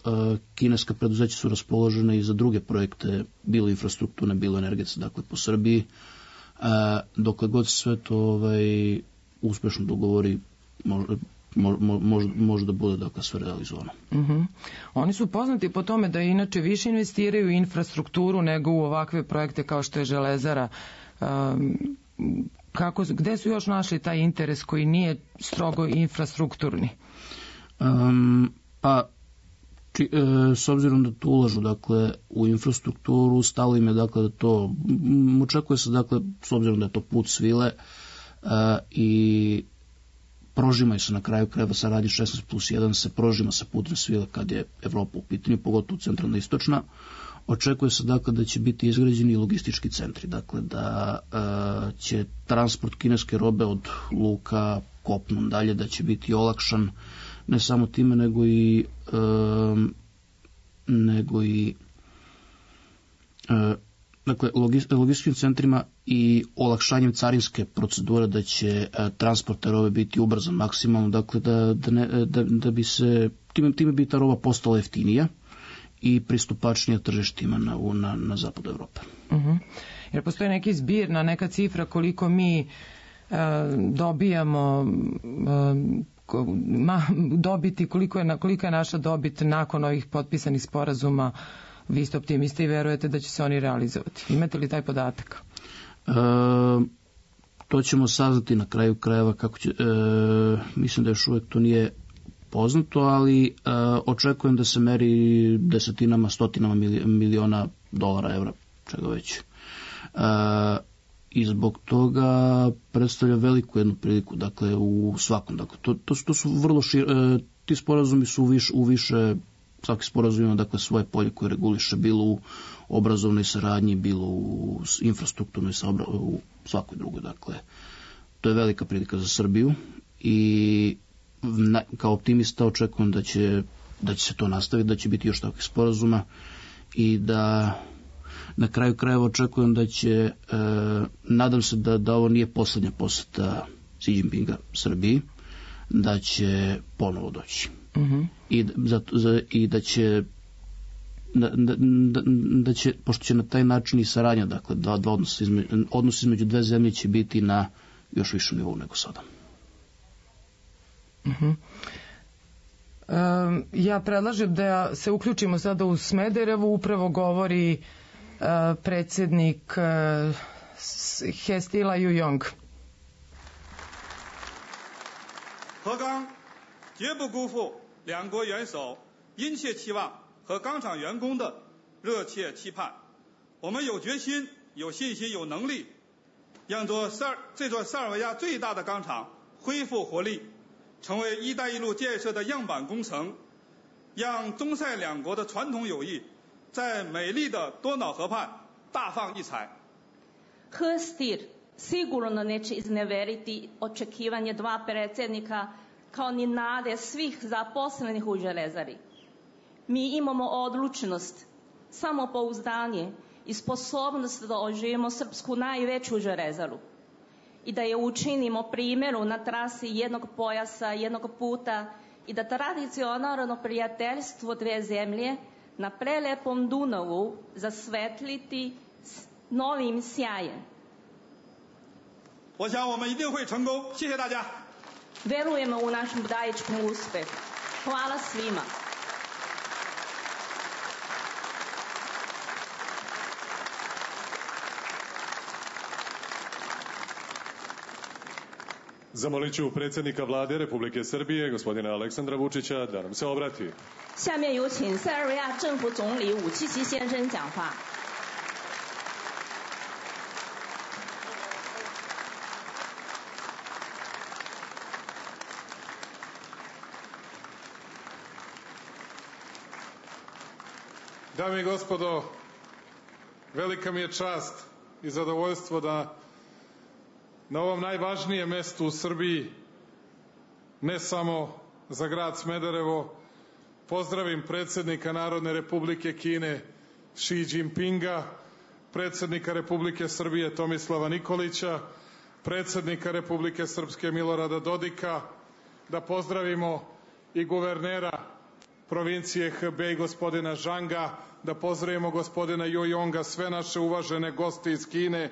kineska preduzeća su raspoložene i za druge projekte, bilo infrastrukturne, bilo energetske, dakle, po Srbiji, dokle god se sve to ovaj, uspešno dogovori, može, može, može da bude, dakle, sve realizovano. Uh-huh. Oni su poznati po tome da inače više investiraju u infrastrukturu nego u ovakve projekte kao što je Železara. Um, Kako, gde su još našli taj interes koji nije strogo infrastrukturni? Um, pa, či, e, s obzirom da tu ulažu, dakle, u infrastrukturu, stalo im je, dakle, da to, m, očekuje se, dakle, s obzirom da je to put svile e, i prožimaju se na kraju krajeva saradnje šesnaest plus jedan, se prožima sa putne svile kad je Evropa u pitanju, pogotovo centralna i istočna. Očekuje se, dakle, da će biti izgrađeni logistički centri, dakle, da e, će transport kineske robe od luka kopnom dalje, da će biti olakšan ne samo time, nego i e, nego i e, dakle, logističkim centrima i olakšanjem carinske procedure, da će e, transport te robe biti ubrzan maksimalno, dakle, da, da, ne, da, da bi se, time, time bi ta roba postala jeftinija i pristupačnija tržištima na, na, na zapadu Evrope. Uh-huh. Jer postoji neki zbir, na neka cifra koliko mi e, dobijamo e, ma, dobiti, koliko je, koliko je naša dobit nakon ovih potpisanih sporazuma? Vi ste optimisti i verujete da će se oni realizovati. Imate li taj podatak? E, to ćemo saznati na kraju krajeva kako će, e, mislim da još uvek to nije poznato, ali e, očekujem da se meri desetinama, stotinama miliona dolara, evra, čega već. E, I zbog toga predstavlja veliku jednu priliku, dakle, u svakom. Dakle, to, to, to su vrlo šir, e, ti sporazumi su u, viš, u više, svaki sporazum ima, dakle, svoje polje koje reguliše, bilo u obrazovnoj saradnji, bilo u infrastrukturnoj, saobra, u svakoj drugoj, dakle. To je velika prilika za Srbiju i Na, kao optimista očekujem da će, da će se to nastaviti, da će biti još takvih sporazuma i da Na kraju krajeva očekujem da će, e, nadam se da, da ovo nije poslednja poseta Xi Jinpinga Srbiji, da će ponovo doći. Uh-huh. I, za, za, I da će Da, da, da će, pošto će na taj način i saradnja, dakle, dva, dva odnos, između, odnos između dve zemlje će biti na još višem nivou nego sada. Uh-huh. Um, ja predlažem da se uključimo sada u Smederevu, upravo govori uh, predsjednik uh, Hestila Yuyong. 何刚绝不辜负两国元首殷切期望和钢厂员工的热切期盼，我们有决心、有信心、有能力，让座塞尔这座塞尔维亚最大的钢厂恢复活力，成为“一带一路”建设的样板工程，让中塞两国的传统友谊在美丽的多瑙河畔大放异彩。Hrstir sigurno neće izneveriti očekivanje dva predsjednika kao ni nade svih zaposlenih u železari. Mi imamo odlučnost, samopouzdanje i sposobnost da oživimo srpsku najveću železaru i da je učinimo primjeru na trasi jednog pojasa, jednog puta i da tradicionalno prijateljstvo dve zemlje na prelepom Dunavu zasvetliti novim sjajem. 我想我们一定会成功，谢谢大家。 Verujemo u naš budajičkom uspehu. Hvala svima. Zamolit ću predsjednika vlade Republike Srbije, gospodina Aleksandra Vučića, da nam se obrati. 下面有请塞尔维亚政府总理武契奇先生讲话。 Dame i gospodo, velika mi je čast i zadovoljstvo da na ovom najvažnijem mestu u Srbiji, ne samo za grad Smederevo, pozdravim predsjednika Narodne Republike Kine Xi Jinpinga, predsjednika Republike Srbije Tomislava Nikolića, predsjednika Republike Srpske Milorada Dodika, da pozdravimo i guvernera provincije Hebej gospodina Zhanga, da pozdravimo gospodina Yuyonga, sve naše uvažene goste iz Kine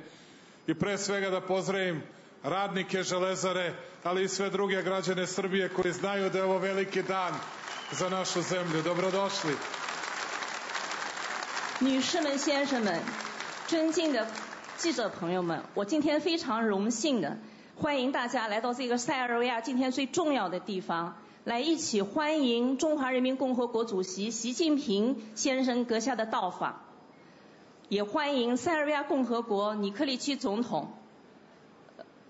i pre svega da pozdravim radnike železare, ali i sve druge građane Srbije koji znaju da je ovo veliki dan za našu zemlju. Dobrodošli. 女士们、先生们，尊敬的记者朋友们，我今天非常荣幸的欢迎大家来到这个塞尔维亚今天最重要的地方，来一起欢迎中华人民共和国主席习近平先生阁下的到访，也欢迎塞尔维亚共和国尼科利奇总统、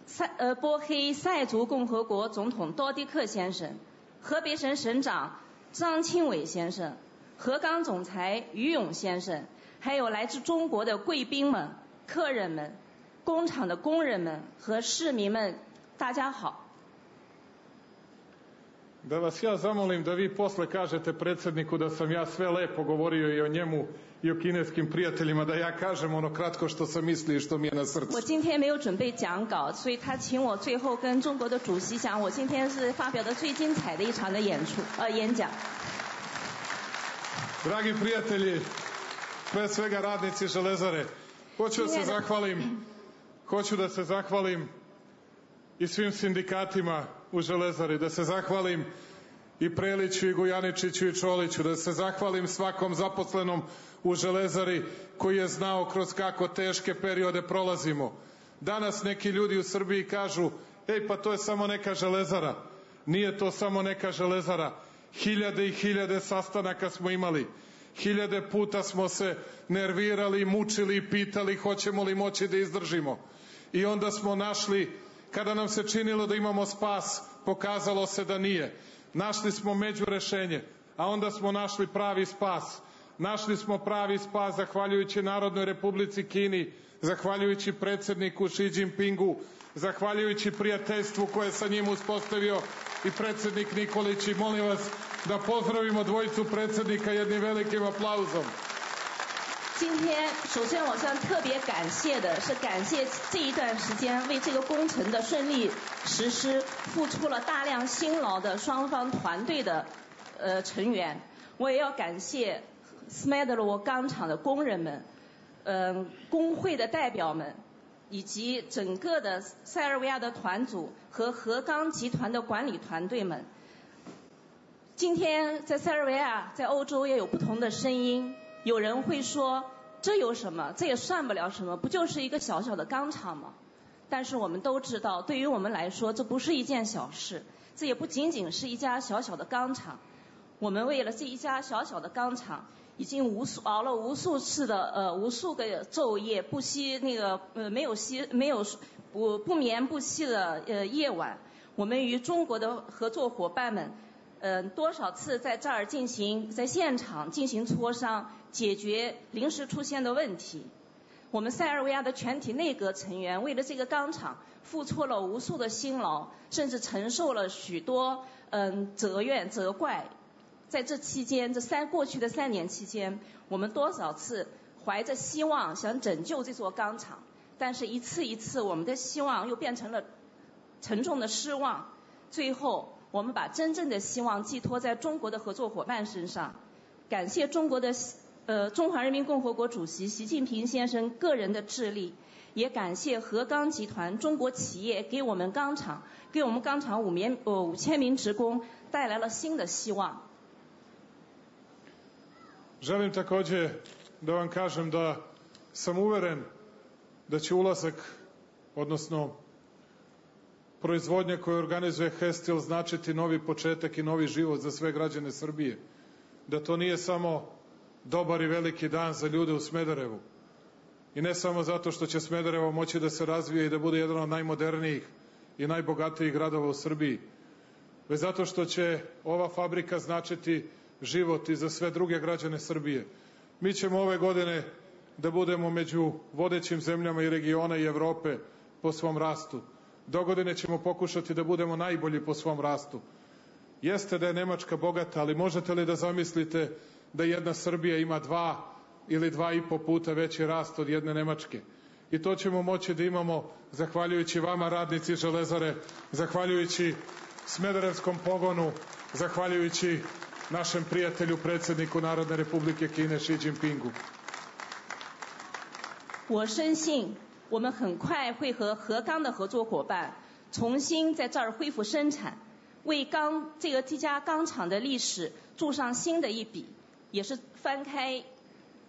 塞呃波黑塞族共和国总统多迪克先生、河北省省长张庆伟先生、河钢总裁于勇先生，还有来自中国的贵宾们、客人们、工厂的工人们和市民们，大家好。 Da vas ja zamolim da vi posle kažete predsjedniku da sam ja sve lepo govorio i o njemu i o kineskim prijateljima, da ja kažem ono kratko što sam mislio i što mi je na srcu. 我今天没有准备讲稿，所以他请我最后跟中国的主席讲，我今天是发表的最精彩的一场的演出呃演讲。 Dragi prijatelji, pre svega radnici železare, hoću da se zahvalim, hoću da se zahvalim i svim sindikatima u železari, da se zahvalim i Preliću i Gujaničiću i Čoliću, da se zahvalim svakom zaposlenom u železari koji je znao kroz kako teške periode prolazimo. Danas neki ljudi u Srbiji kažu, ej pa to je samo neka železara. Nije to samo neka železara. Hiljade i hiljade sastanaka smo imali. Hiljade puta smo se nervirali, mučili i pitali hoćemo li moći da izdržimo. I onda smo našli, kada nam se činilo da imamo spas, pokazalo se da nije. Našli smo međurešenje, a onda smo našli pravi spas. Našli smo pravi spas zahvaljujući Narodnoj Republici Kini, zahvaljujući predsjedniku Xi Jinpingu, zahvaljujući prijateljstvu koje je sa njim uspostavio i predsjednik Nikolić. I molim vas da pozdravimo dvojicu predsjednika jednim velikim aplauzom. 今天，首先我想特别感谢的是感谢这一段时间为这个工程的顺利实施付出了大量辛劳的双方团队的呃成员。我也要感谢斯麦德罗钢厂的工人们，嗯、呃，工会的代表们，以及整个的塞尔维亚的团组和核钢集团的管理团队们。今天在塞尔维亚，在欧洲也有不同的声音。有人会说，这有什么？这也算不了什么，不就是一个小小的钢厂吗？但是我们都知道，对于我们来说，这不是一件小事，这也不仅仅是一家小小的钢厂。我们为了这一家小小的钢厂，已经无数熬了无数次的呃无数个昼夜，不惜那个呃没有息没有不不眠不息的呃夜晚。我们与中国的合作伙伴们。嗯、呃，多少次在这儿进行在现场进行磋商，解决临时出现的问题。我们塞尔维亚的全体内阁成员为了这个钢厂付出了无数的辛劳，甚至承受了许多嗯责怨责怪。在这期间，这三过去的三年期间，我们多少次怀着希望想拯救这座钢厂，但是一次一次我们的希望又变成了沉重的失望，最后。我们把真正的希望寄托在中国的合作伙伴身上，感谢中国的呃中华人民共和国主席习近平先生个人的智力，也感谢核钢集团中国企业给我们钢厂给我们钢厂五名呃五千名职工带来了新的希望。Želim takođe da vam kažem da sam uveren da će ulazak, odnosno proizvodnja koju organizuje Hestil značiti novi početak i novi život za sve građane Srbije. Da to nije samo dobar i veliki dan za ljude u Smederevu. I ne samo zato što će Smederevo moći da se razvije i da bude jedan od najmodernijih i najbogatijih gradova u Srbiji, već zato što će ova fabrika značiti život i za sve druge građane Srbije. Mi ćemo ove godine da budemo među vodećim zemljama i regiona i Evrope po svom rastu. Dogodine ćemo pokušati da budemo najbolji po svom rastu. Jeste da je Nemačka bogata, ali možete li da zamislite da jedna Srbija ima dva ili dva i po puta veći rast od jedne Nemačke? I to ćemo moći da imamo zahvaljujući vama, radnici Železare, zahvaljujući Smederevskom pogonu, zahvaljujući našem prijatelju, predsjedniku Narodne Republike Kine Xi Jinpingu. 我深信我们很快会和核钢的合作伙伴重新在这儿恢复生产，为钢这个这家钢厂的历史注上新的一笔，也是翻开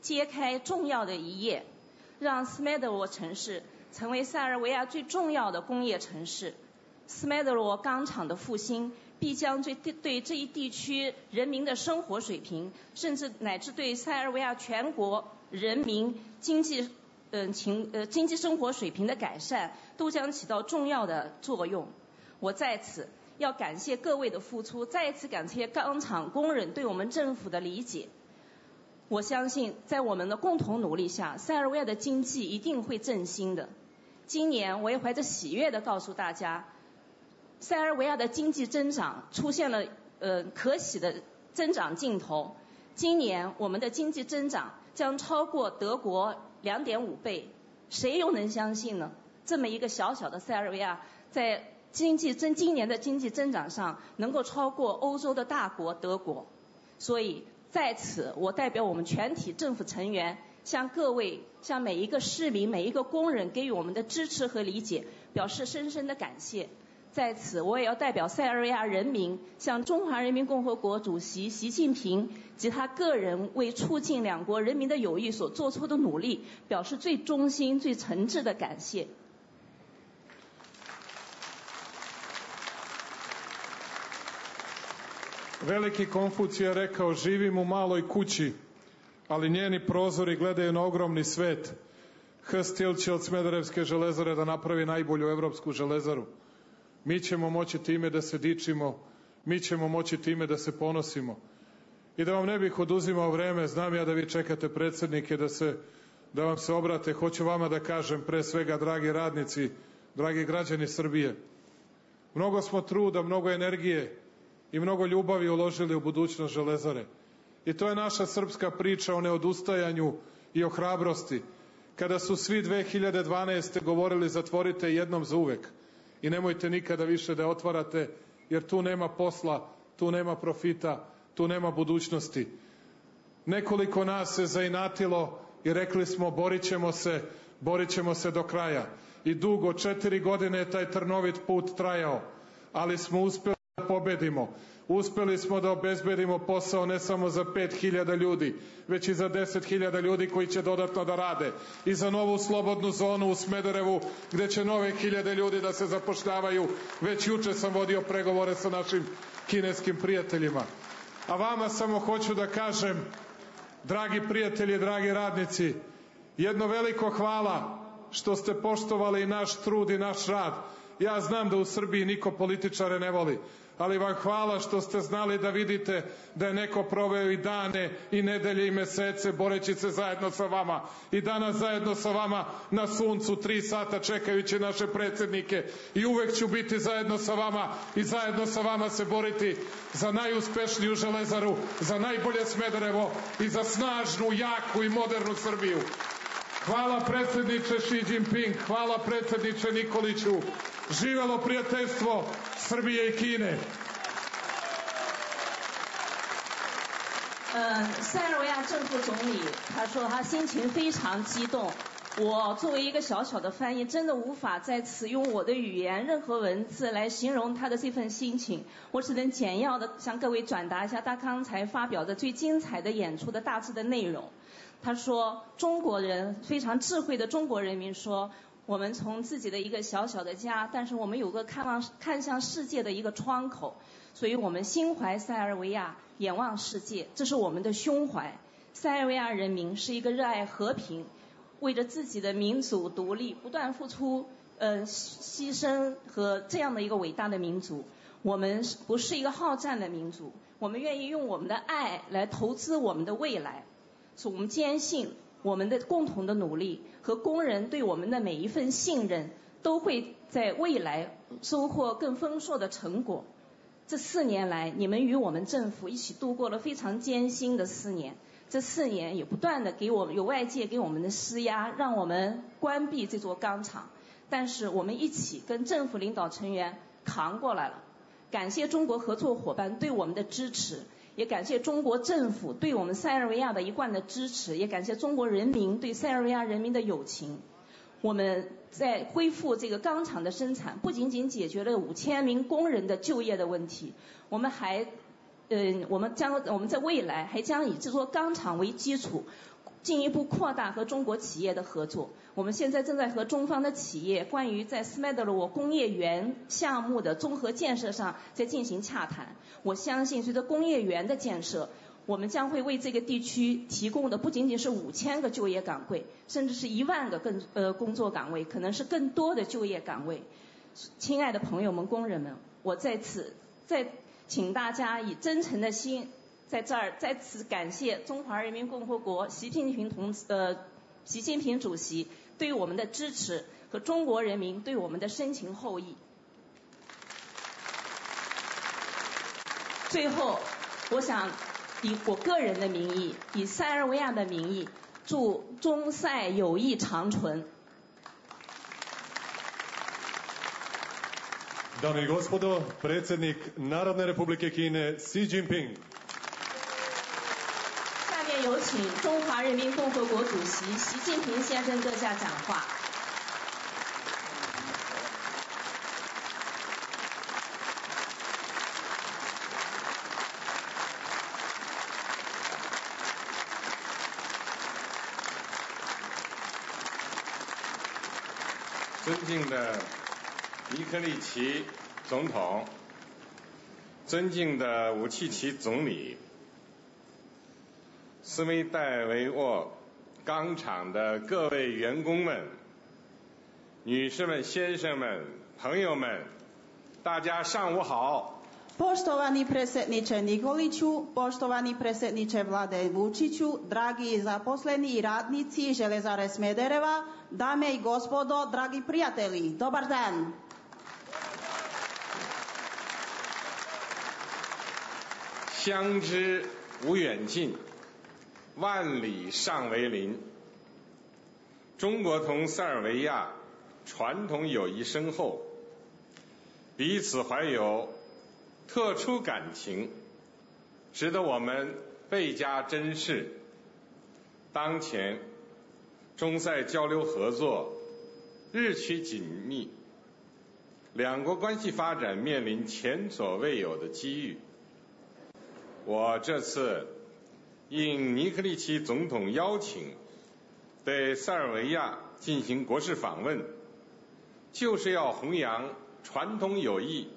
揭开重要的一页，让斯麦德罗城市成为塞尔维亚最重要的工业城市。斯麦德罗钢厂的复兴必将对对这一地区人民的生活水平，甚至乃至对塞尔维亚全国人民经济嗯情呃经济生活水平的改善，都将起到重要的作用。我在此要感谢各位的付出，再一次感谢钢厂工人对我们政府的理解。我相信在我们的共同努力下，塞尔维亚的经济一定会振兴的。今年我也怀着喜悦地告诉大家，塞尔维亚的经济增长出现了呃可喜的增长劲头。今年我们的经济增长将超过德国 两点五倍，谁又能相信呢？这么一个小小的塞尔维亚，在经济增今年的经济增长上能够超过欧洲的大国德国。所以在此，我代表我们全体政府成员，向各位、向每一个市民、每一个工人给予我们的支持和理解，表示深深的感谢。在此，我也要代表塞尔维亚人民，向中华人民共和国主席习近平及他个人为促进两国人民的友谊所做出的努力，表示最衷心、最诚挚的感谢。Veliki Konfucije je rekao, živim u maloj kući, ali njeni prozori gledaju na ogromni svet. Hestil će od Smederevske železare da napravi najbolju evropsku železaru. Mi ćemo moći time da se dičimo, mi ćemo moći time da se ponosimo. I da vam ne bih oduzimao vreme, znam ja da vi čekate predsjednike da, se, da vam se obrate, hoću vama da kažem, pre svega, dragi radnici, dragi građani Srbije, mnogo smo truda, mnogo energije i mnogo ljubavi uložili u budućnost železare. I to je naša srpska priča o neodustajanju i o hrabrosti, kada su svi dve hiljade dvanaeste. govorili zatvorite jednom za uvek i nemojte nikada više da otvarate, jer tu nema posla, tu nema profita, tu nema budućnosti. Nekoliko nas se zainatilo i rekli smo borit ćemo se, borit ćemo se do kraja. I dugo, četiri godine je taj trnovit put trajao, ali smo uspeli da pobedimo. Uspeli smo da obezbedimo posao ne samo za pet hiljada ljudi, već i za deset hiljada ljudi koji će dodatno da rade. I za novu slobodnu zonu u Smederevu, gde će nove hiljade ljudi da se zapošljavaju. Već juče sam vodio pregovore sa našim kineskim prijateljima. A vama samo hoću da kažem, dragi prijatelji, dragi radnici, jedno veliko hvala što ste poštovali naš trud i naš rad. Ja znam da u Srbiji niko političare ne voli, ali vam hvala što ste znali da vidite da je neko proveo i dane i nedelje i mesece boreći se zajedno sa vama. I danas zajedno sa vama na suncu tri sata čekajući naše predsjednike. I uvek ću biti zajedno sa vama i zajedno sa vama se boriti za najuspešniju Železaru, za najbolje Smederevo i za snažnu, jaku i modernu Srbiju. Hvala predsjedniče Xi Jinping, hvala predsjedniče Nikoliću. Živelo prijateljstvo Srbije i Kine. 呃，塞尔维亚政府总理他说他心情非常激动。我作为一个小小的翻译，真的无法在此用我的语言、任何文字来形容他的这份心情。我只能简要的向各位转达一下他刚才发表的最精彩的演出的大致的内容。他说，中国人非常智慧的中国人民说，我们从自己的一个小小的家，但是我们有个看望看向世界的一个窗口，所以我们心怀塞尔维亚，眼望世界，这是我们的胸怀。塞尔维亚人民是一个热爱和平，为着自己的民族独立不断付出呃牺牲和这样的一个伟大的民族。我们不是一个好战的民族，我们愿意用我们的爱来投资我们的未来。所以我们坚信我们的共同的努力和工人对我们的每一份信任都会在未来收获更丰硕的成果。这四年来，你们与我们政府一起度过了非常艰辛的四年，这四年也不断的给我们有外界给我们的施压，让我们关闭这座钢厂，但是我们一起跟政府领导成员扛过来了。感谢中国合作伙伴对我们的支持，也感谢中国政府对我们塞尔维亚的一贯的支持，也感谢中国人民对塞尔维亚人民的友情。我们在恢复这个钢厂的生产，不仅仅解决了五千名工人的就业的问题，我们还，嗯，我们将我们在未来还将以这座钢厂为基础，进一步扩大和中国企业的合作。我们现在正在和中方的企业关于在斯麦德罗工业园项目的综合建设上在进行洽谈。我相信随着工业园的建设，我们将会为这个地区提供的不仅仅是五千个就业岗位，甚至是一万个更呃工作岗位，可能是更多的就业岗位。亲爱的朋友们、工人们，我在此再请大家以真诚的心，在这儿再次感谢中华人民共和国习近平同志呃习近平主席对我们的支持和中国人民对我们的深情厚谊。最后，我想以我个人的名义，以塞尔维亚的名义，祝中塞友谊长存。Dame i gospodo, predsjednik Narodne Republike Kine Xi Jinping。下面有请中华人民共和国主席习近平先生阁下讲话。尊敬的尼科利奇总统，尊敬的武契奇总理，斯梅代维沃钢厂的各位员工们，女士们、先生们、朋友们，大家上午好。Poštovani predsjedniče Nikoliću, poštovani predsjedniče vlade Vučiću, dragi zaposleni i radnici Železare Smedereva, dame i gospodo, dragi prijatelji, dobar dan. 相知无远近，万里尚为邻。中国同塞尔维亚传统友谊深厚，彼此怀有特殊感情，值得我们倍加珍视。当前，中塞交流合作日趋紧密，两国关系发展面临前所未有的机遇。我这次应尼科利奇总统邀请，对塞尔维亚进行国事访问，就是要弘扬传统友谊，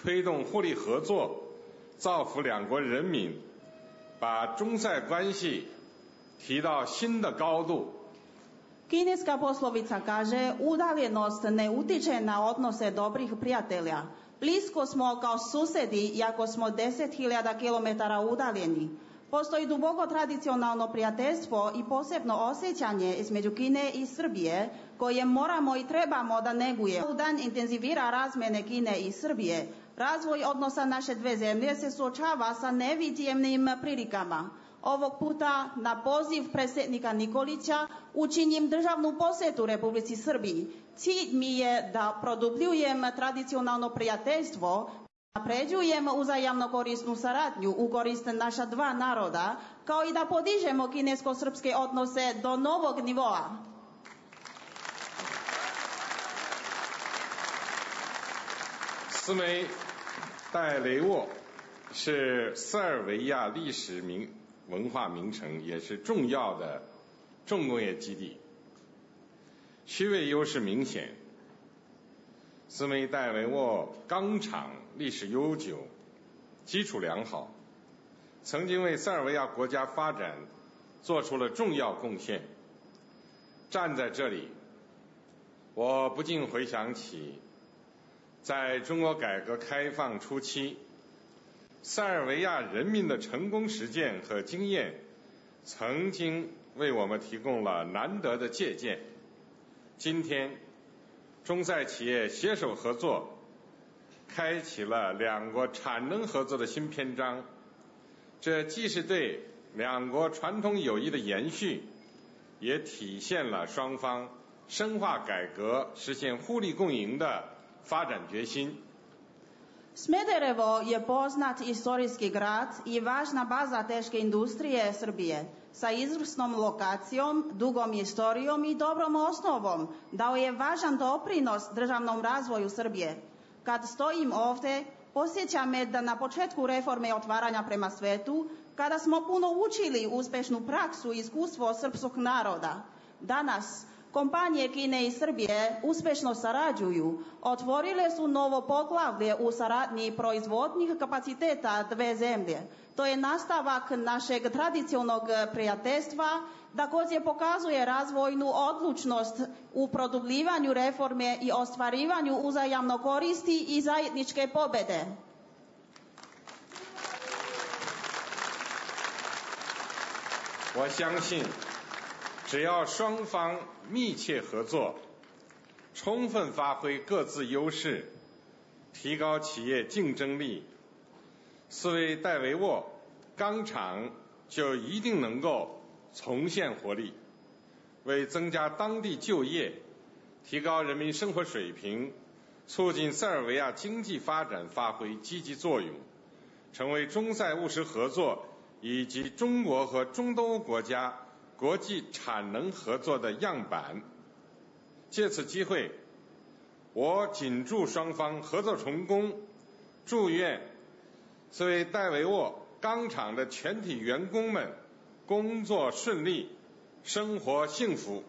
推动互利合作，造福两国人民，把中塞关系提到新的高度。Kineska poslovica kaže, udaljenost ne utiče na odnose dobrih prijatelja. Blisko smo kao susedi, iako smo deset hiljada kilometara udaljeni. Postoji duboko tradicionalno prijateljstvo i posebno osjećanje između Kine i Srbije, koje moramo i trebamo da neguje. U dan intenzivira razmene Kine i Srbije. Razvoj odnosa naše dve zemlje se suočava sa nevidljivim prilikama. Ovog puta na poziv predsjednika Nikolića učinim državnu posjetu Republici Srbiji. Cilj mi je da produbljujem tradicionalno prijateljstvo, napređujem uzajamno korisnu saradnju u korist naša dva naroda, kao i da podižemo kinesko-srpske odnose do novog nivoa. 斯梅代雷沃是塞尔维亚历史名文化名城，也是重要的重工业基地，区位优势明显。斯梅代维沃钢厂历史悠久，基础良好，曾经为塞尔维亚国家发展做出了重要贡献。站在这里，我不禁回想起在中国改革开放初期，塞尔维亚人民的成功实践和经验，曾经为我们提供了难得的借鉴。今天，中塞企业携手合作，开启了两国产能合作的新篇章。这既是对两国传统友谊的延续，也体现了双方深化改革、实现互利共赢的发展决心。Smederevo je poznat istorijski grad i važna baza teške industrije Srbije. Sa izvrsnom lokacijom, dugom istorijom i dobrom osnovom dao je važan doprinos državnom razvoju Srbije. Kad stojim ovde, posjeća me da na početku reforme otvaranja prema svetu, kada smo puno učili uspešnu praksu i iskustvo srpskog naroda, danas kompanije Kine i Srbije uspešno sarađuju, otvorile su novo poglavlje u saradnji proizvodnih kapaciteta dve zemlje. To je nastavak našeg tradicionalnog prijateljstva, također pokazuje razvojnu odlučnost u produbljivanju reforme i ostvarivanju uzajamno koristi i zajedničke pobede. 我相信，只要双方密切合作，充分发挥各自优势，提高企业竞争力，斯维戴维沃钢厂就一定能够重现活力，为增加当地就业、提高人民生活水平、促进塞尔维亚经济发展发挥积极作用，成为中塞务实合作以及中国和中东欧国家国际产能合作的样板。借此机会，我谨祝双方合作成功，祝愿斯维戴维沃钢厂的全体员工们工作顺利，生活幸福。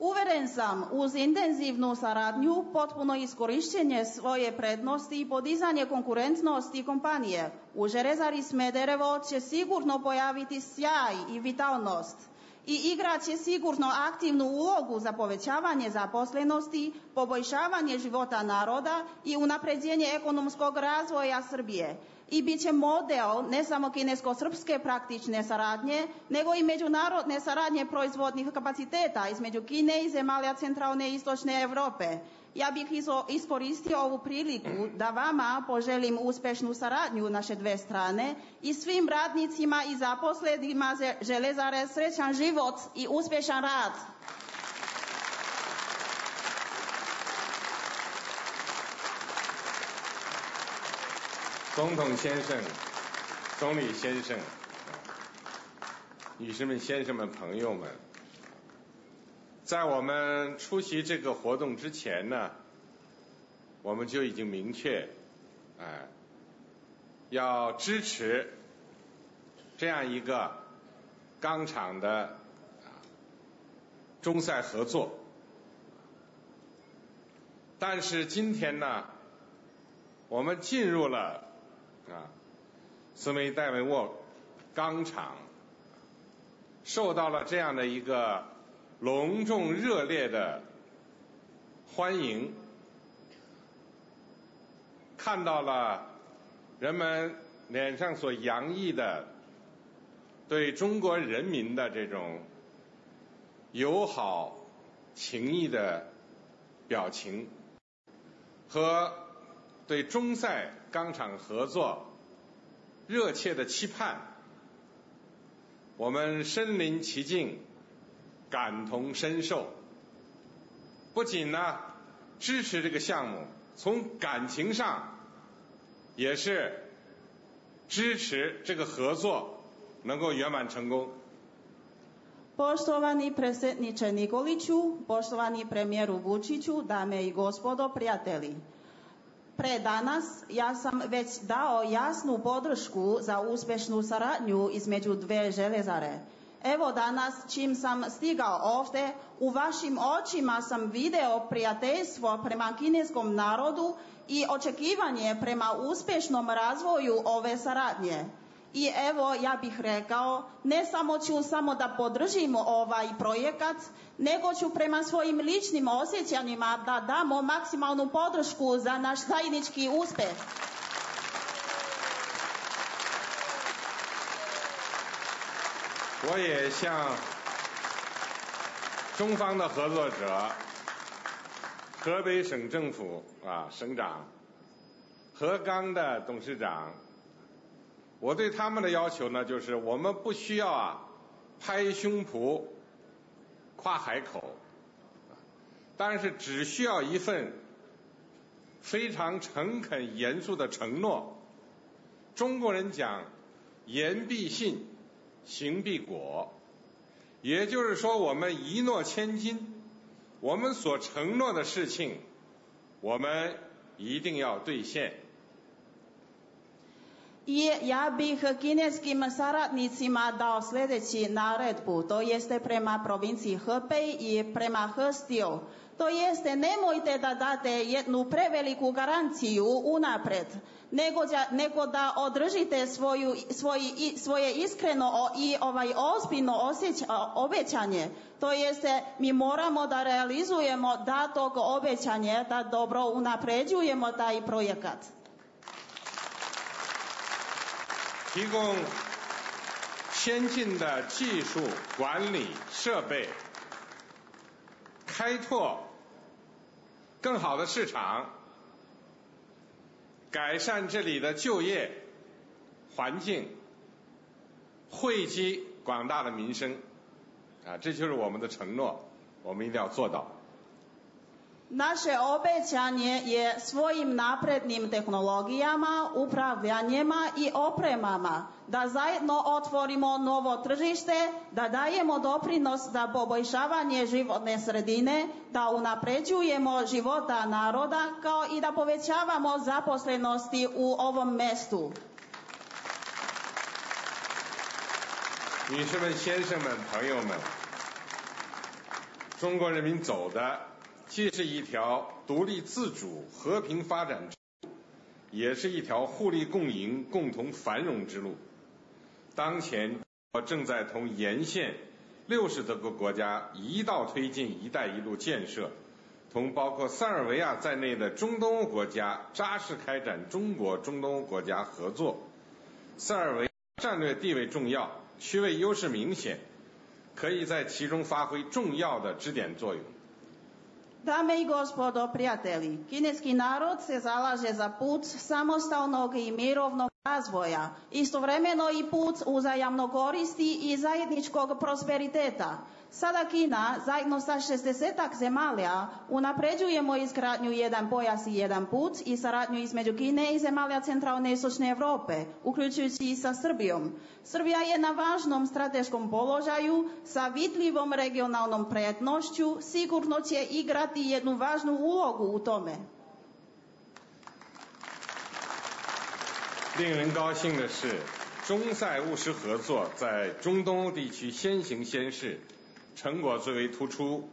Uveren sam, uz intenzivnu saradnju, potpuno iskorišćenje svoje prednosti i podizanje konkurentnosti kompanije, u Železari Smederevo će sigurno pojaviti sjaj i vitalnost i igrat će sigurno aktivnu ulogu za povećavanje zaposlenosti, poboljšavanje života naroda i unapređenje ekonomskog razvoja Srbije. I bit će model ne samo kinesko-srpske praktične saradnje, nego i međunarodne saradnje proizvodnih kapaciteta između Kine i zemalja centralne i istočne Evrope. Ja bih iskoristio ovu priliku da vama poželim uspešnu saradnju naše dve strane i svim radnicima i zaposlenima Železare srećan život i uspešan rad. 总统先生、总理先生、女士们、先生们、朋友们，在我们出席这个活动之前呢，我们就已经明确，哎，要支持这样一个钢厂的中塞合作。但是今天呢，我们进入了啊斯梅代维沃钢厂，受到了这样的一个隆重热烈的欢迎，看到了人们脸上所洋溢的对中国人民的这种友好情谊的表情，和对中塞钢厂合作热切的期盼，我们身临其境，感同身受。不仅呢支持这个项目，从感情上也是支持这个合作能够圆满成功。Poštovani predsjedniče Nikoliću, poštovani premijeru Vučiću, dame i gospodo, prijatelji. Pre danas ja sam već dao jasnu podršku za uspješnu saradnju između dve željezare. Evo danas, čim sam stigao ovdje, u vašim očima sam video prijateljstvo prema kineskom narodu i očekivanje prema uspješnom razvoju ove saradnje. I evo, ja bih rekao, ne samo ću samo da podržimo ovaj projekat, nego ću prema svojim ličnim osjećanjima da damo maksimalnu podršku za naš zajednički uspjeh. 我也向中方的合作者，河北省政府啊省长，河钢的董事长，我对他们的要求呢，就是我们不需要啊拍胸脯、夸海口，但是只需要一份非常诚恳、严肃的承诺。中国人讲言必信，行必果，也就是说我们一诺千金，我们所承诺的事情我们一定要兑现。I ja bih kineskim saradnicima dao sljedeći naredbu, to jeste prema provinciji Hebei i prema Hstiju. To jeste, nemojte da date jednu preveliku garanciju unapred, nego, nego da održite svoju, svoji, svoje iskreno i ovaj ozbiljno osjeć, obećanje. To jeste, mi moramo da realizujemo datog obećanje, da dobro unapređujemo taj projekat. 提供先进的技术、管理、设备，开拓更好的市场，改善这里的就业环境，惠及广大的民生，啊，这就是我们的承诺，我们一定要做到。 Naše obećanje je svojim naprednim tehnologijama, upravljanjima i opremama da zajedno otvorimo novo tržište, da dajemo doprinos za poboljšavanje životne sredine, da unapređujemo života naroda kao i da povećavamo zaposlenosti u ovom mestu. 女士们、先生们、朋友们，中国人民走的 既是一条独立自主、和平发展之路，也是一条互利共赢、共同繁荣之路。当前，我正在同沿线六十多个国家一道推进“一带一路”建设，同包括塞尔维亚在内的中东欧国家扎实开展中国中东欧国家合作。塞尔维亚战略地位重要，区位优势明显，可以在其中发挥重要的支点作用。 Dame i gospodo, prijatelji, kineski narod se zalaže za put samostalnog i mirovnog razvoja, istovremeno i put uzajamno koristi i zajedničkog prosperiteta. Sada Kina, zajedno sa šezdesetak zemalja, unapređujemo izgradnju jedan pojas i jedan put i saradnju između Kine i zemalja centralne i istočne Evrope, uključujući i sa Srbijom. Srbija je na važnom strateškom položaju sa vidljivom regionalnom prednošću, sigurno će igrati jednu važnu ulogu u tome. 令人高兴的是，中塞务实合作在中东欧地区先行先试，成果最为突出，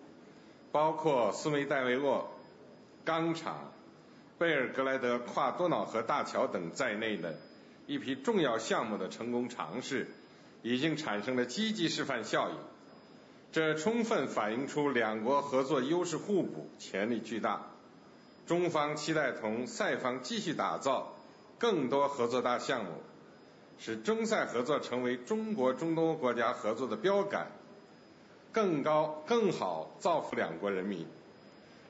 包括苏梅代维洛钢厂、贝尔格莱德跨多瑙河大桥等在内的一批重要项目的成功尝试，已经产生了积极示范效应。这充分反映出两国合作优势互补，潜力巨大。中方期待同塞方继续打造更多合作大项目，使中塞合作成为中国中东欧国家合作的标杆，更高更好造福两国人民。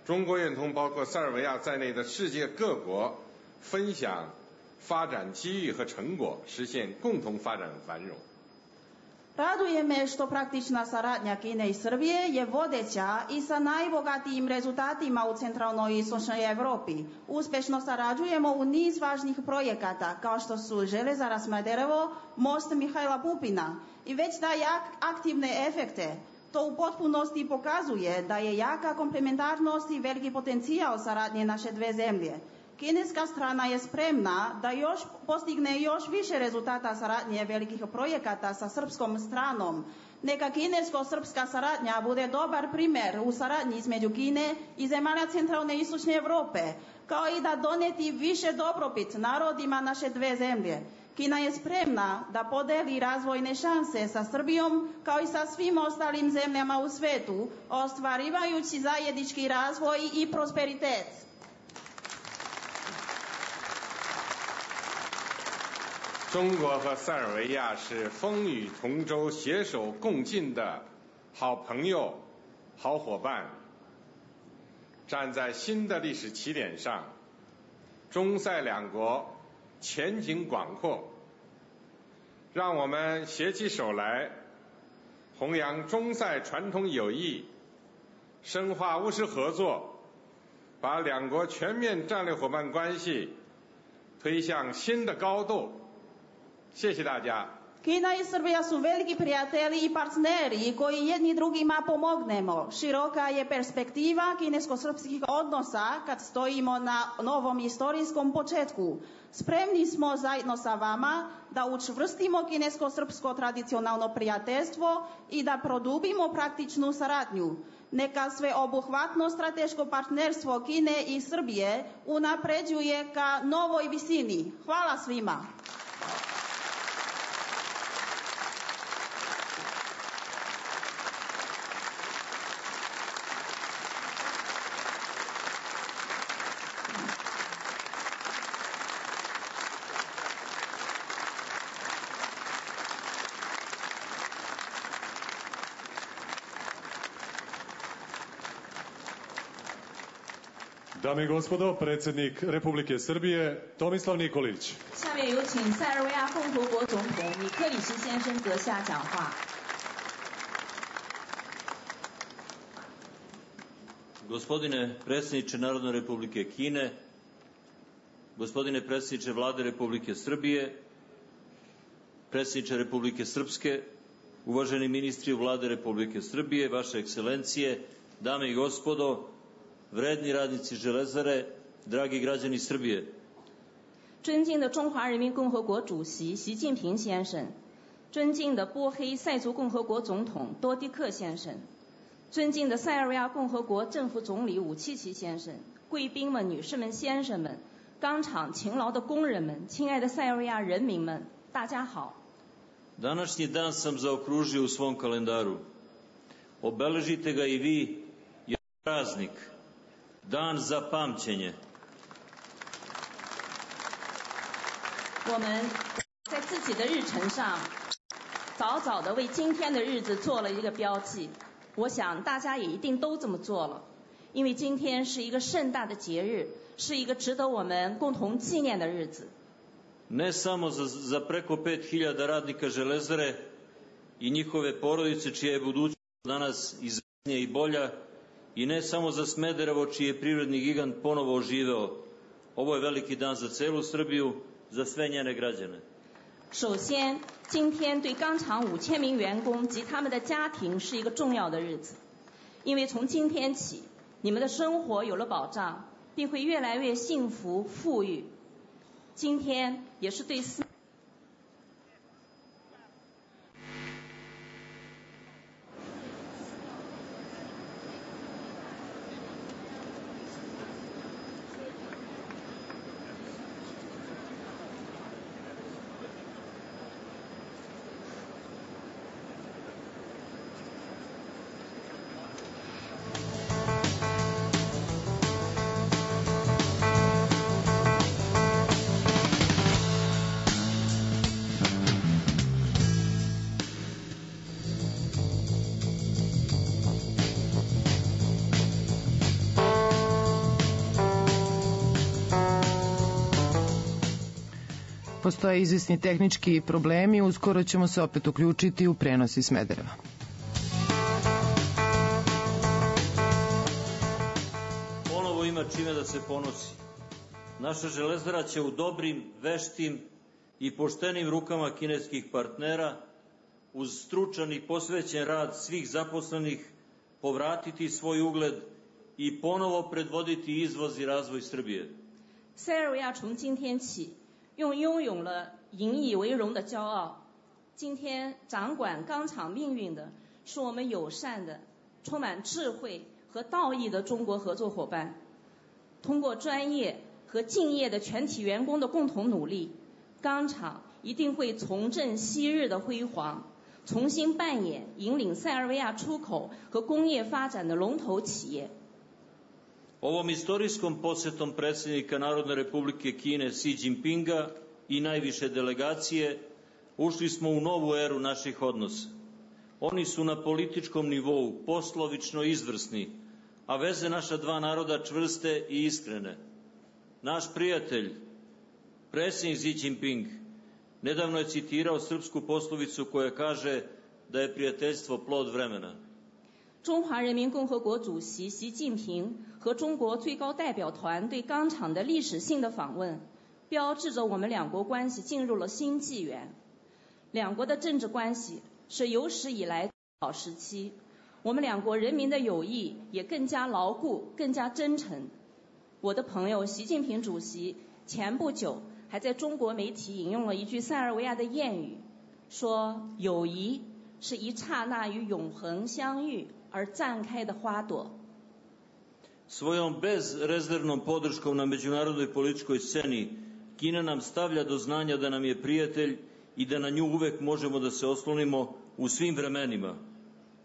中国愿同包括塞尔维亚在内的世界各国分享发展机遇和成果，实现共同发展繁荣。 Raduje me što praktična saradnja Kine i Srbije je vodeća i sa najbogatijim rezultatima u centralnoj i istočnoj Evropi. Uspešno sarađujemo u niz važnih projekata kao što su Železara Smederevo, most Mihajla Pupina i već daje aktivne efekte. To u potpunosti pokazuje da je jaka komplementarnost i veliki potencijal saradnje naše dve zemlje. Kineska strana je spremna da još postigne još više rezultata saradnje velikih projekata sa srpskom stranom. Neka kinesko-srpska saradnja bude dobar primer u saradnji između Kine i zemalja centralne i istočne Evrope, kao i da doneti više dobrobit narodima naše dve zemlje. Kina je spremna da podeli razvojne šanse sa Srbijom kao i sa svim ostalim zemljama u svetu, ostvarivajući zajednički razvoj i prosperitet. 中国和塞尔维亚是风雨同舟、携手共进的好朋友、好伙伴。站在新的历史起点上，中塞两国前景广阔。让我们携起手来，弘扬中塞传统友谊，深化务实合作，把两国全面战略伙伴关系推向新的高度。 谢谢大家。 Kina i Srbija su veliki prijatelji i partneri koji jedni drugima pomognemo. Široka je perspektiva kinesko-srpskih odnosa kad stojimo na novom istorijskom početku. Spremni smo zajedno sa vama da učvrstimo kinesko-srpsko tradicionalno prijateljstvo i da produbimo praktičnu saradnju. Neka sveobuhvatno strateško partnerstvo Kine i Srbije unapređuje ka novoj visini. Hvala svima. Dame i gospodo, predsjednik Republike Srbije Tomislav Nikolić. 下面有请塞尔维亚共和国总统米克里什先生阁下讲话。 Gospodine predsjedniče Narodne Republike Kine, gospodine predsjedniče Vlade Republike Srbije, predsjedniče Republike Srpske, uvaženi ministri u Vlade Republike Srbije, vaše ekscelencije, dame i gospodo, vredni radnici Železare, dragi građani Srbije. 尊敬的中华人民共和国主席习近平先生，尊敬的波黑塞族共和国总统多迪克先生，尊敬的塞尔维亚共和国政府总理武契奇先生，贵宾们、女士们、先生们，钢厂勤劳的工人们，亲爱的塞尔维亚人民们，大家好。 Današnji dan sam zaokružio u svom kalendaru. Obeležite ga i vi, jer je praznik, dan za pamćenje. 我们在自己的日程上早早的为今天的日子做了一个标记，我想大家也一定都这么做了，因为今天是一个盛大的节日，是一个值得我们共同纪念的日子。 Ne samo za, za preko pet hiljada radnika Železare i njihove porodice čija je budućnost danas izvesnija i bolja i ne samo za Smederevo, čiji je privredni gigant ponovo oživeo. Ovo je veliki dan za celu Srbiju, za sve njene građane. 首先，今天对钢厂五千名员工及他们的家庭是一个重要的日子，因为从今天起，你们的生活有了保障，并会越来越幸福富裕。今天也是对四。Postoje izvisni tehnički problemi, uskoro ćemo se opet uključiti u prenos iz Smedereva. Ponovo ima čime da se ponosi. Naša železara će u dobrim, veštim i poštenim rukama kineskih partnera uz stručan i posvećen rad svih zaposlenih povratiti svoj ugled i ponovo predvoditi izvoz i razvoj Srbije. 塞尔维亚从今天起用拥有了引以为荣的骄傲。今天掌管钢厂命运的是我们友善的、充满智慧和道义的中国合作伙伴。通过专业和敬业的全体员工的共同努力，钢厂一定会重振昔日的辉煌，重新扮演引领塞尔维亚出口和工业发展的龙头企业。Ovom istorijskom posetom predsjednika Narodne republike Kine Xi Jinpinga i najviše delegacije ušli smo u novu eru naših odnosa. Oni su na političkom nivou poslovično izvrsni, a veze naša dva naroda čvrste i iskrene. Naš prijatelj, predsjednik Xi Jinping, nedavno je citirao srpsku poslovicu koja kaže da je prijateljstvo plod vremena. 中华人民共和国主席习近平和中国最高代表团对钢厂的历史性的访问，标志着我们两国关系进入了新纪元。两国的政治关系是有史以来好时期，我们两国人民的友谊也更加牢固、更加真诚。我的朋友习近平主席前不久还在中国媒体引用了一句塞尔维亚的谚语，说友谊是一刹那与永恒相遇而绽开的花朵。 Svojom bezrezervnom podrškom na međunarodnoj političkoj sceni Kina nam stavlja do znanja da nam je prijatelj i da na nju uvek možemo da se oslonimo u svim vremenima.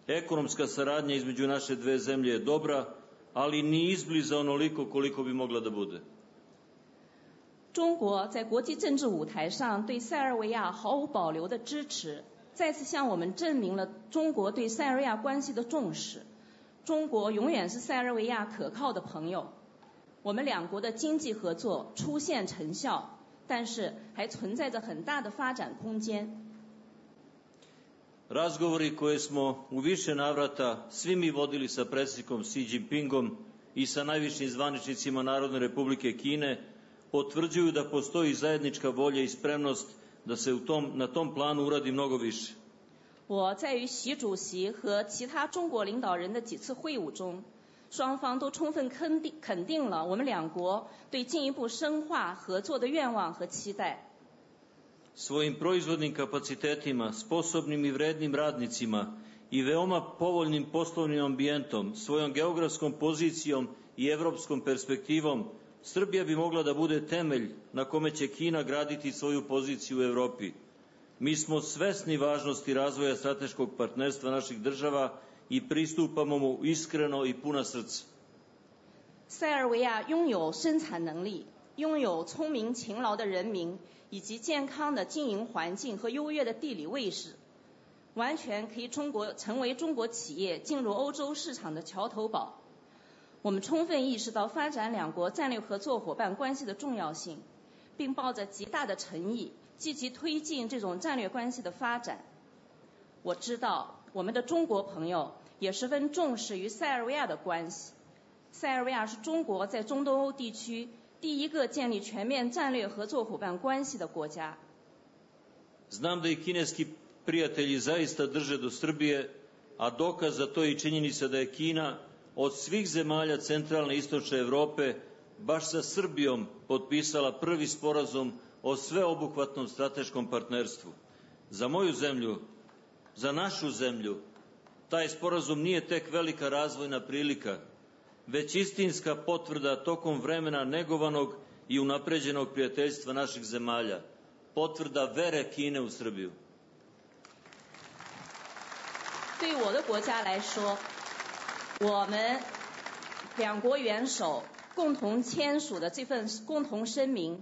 Ekonomska saradnja između naše dve zemlje je dobra, ali ni izbliza onoliko koliko bi mogla da bude. 中国在国际政治舞台上对塞尔维亚毫无保留的支持，再次向我们证明了中国对塞尔维亚关系的重视。中国永远是塞尔维亚可靠的朋友。我们两国的经济合作出现成效，但是还存在着很大的发展空间。 Razgovori koje smo u više navrata svi mi vodili sa predsjednikom Xi Jinpingom i sa najvišim zvaničnicima Narodne republike Kine potvrđuju da postoji zajednička volja i spremnost da se u tom, na tom planu uradi mnogo više. 我在与习主席和其他中国领导人的几次会晤中，双方都充分肯定肯定了我们两国对进一步深化合作的愿望和期待。 Svojim proizvodnim kapacitetima, sposobnim i vrednim radnicima i veoma povoljnim poslovnim ambijentom, svojom geografskom pozicijom i evropskom perspektivom, Srbija bi mogla da bude temelj na kome će Kina graditi svoju poziciju u Evropi. Mi smo svesni važnosti razvoja strateškog partnerstva naših država i pristupamo mu iskreno i puna srca. 塞尔维亚拥有生产能力，拥有聪明勤劳的人民，以及健康的经营环境和优越的地理位置，完全可以中国成为中国企业进入欧洲市场的桥头堡。我们充分意识到发展两国战略合作伙伴关系的重要性，并抱着极大的诚意，积极推进这种战略关系的发展。我知道我们的中国朋友也十分重视与塞尔维亚的关系。塞尔维亚是中国在中东欧地区第一个建立全面战略合作伙伴关系的国家。Znam da i kineski prijatelji zaista drže do Srbije, a dokaz za to je i činjenica da je Kina od svih zemalja centralne i istočne Evrope baš sa Srbijom potpisala prvi sporazum o sveobuhvatnom strateškom partnerstvu. Za moju zemlju, za našu zemlju, taj sporazum nije tek velika razvojna prilika, već istinska potvrda tokom vremena negovanog i unapređenog prijateljstva naših zemalja, potvrda vere Kine u Srbiju. 对我的国家来说，我们两国元首共同签署的这份共同声明，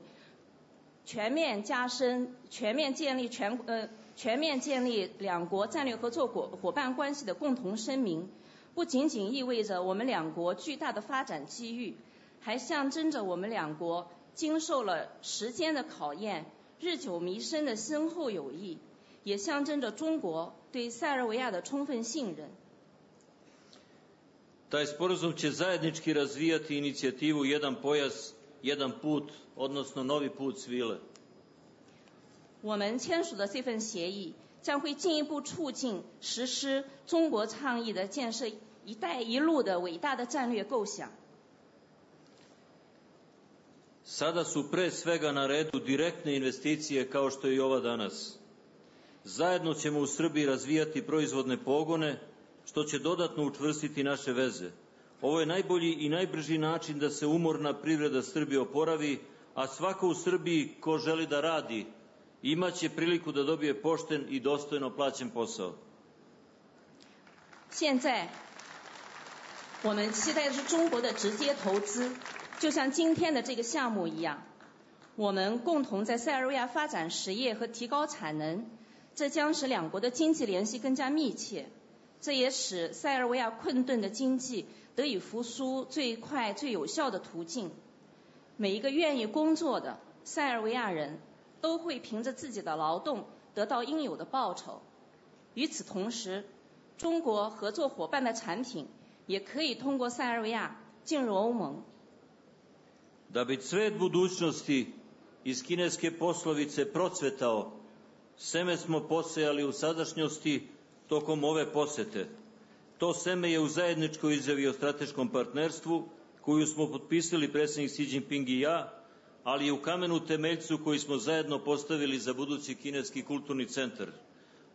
全面加深、全面建立全呃全面建立两国战略合作伙伙伴关系的共同声明，不仅仅意味着我们两国巨大的发展机遇，还象征着我们两国经受了时间的考验、日久弥深的深厚友谊，也象征着中国对塞尔维亚的充分信任。Taj sporazum će zajednički razvijati inicijativu Jedan pojas, jedan put, odnosno novi put svile. 我们签署的这份协议将会进一步促进实施中国倡议的建设“一带一路”的伟大的战略构想。Sada su pre svega na redu direktne investicije kao što je i ova danas. Zajedno ćemo u Srbiji razvijati proizvodne pogone, što će dodatno učvrstiti naše veze. Ovo je najbolji i najbrži način da se umorna privreda Srbije oporavi, a svako u Srbiji ko želi da radi, imaće priliku da dobije pošten i dostojno plaćen posao. 现在我们期待的是中国的直接投资，就像今天的这个项目一样，我们共同在塞尔维亚发展实业和提高产能，这将使两国的经济联系更加密切，这也使塞尔维亚困顿的经济得以复苏最快最有效的途径。每一个愿意工作的塞尔维亚人都会凭着自己的劳动得到应有的报酬。与此同时，中国合作伙伴的产品也可以通过塞尔维亚进入欧盟。Da bi cvet budućnosti iz kineske poslovice procvetao, seme smo posejali u sadašnjosti tokom ove posete. To seme je u zajedničkoj izjavi o strateškom partnerstvu, koju smo potpisali predsjednik Xi Jinping i ja, ali i u kamenu temeljcu koji smo zajedno postavili za budući kineski kulturni centar.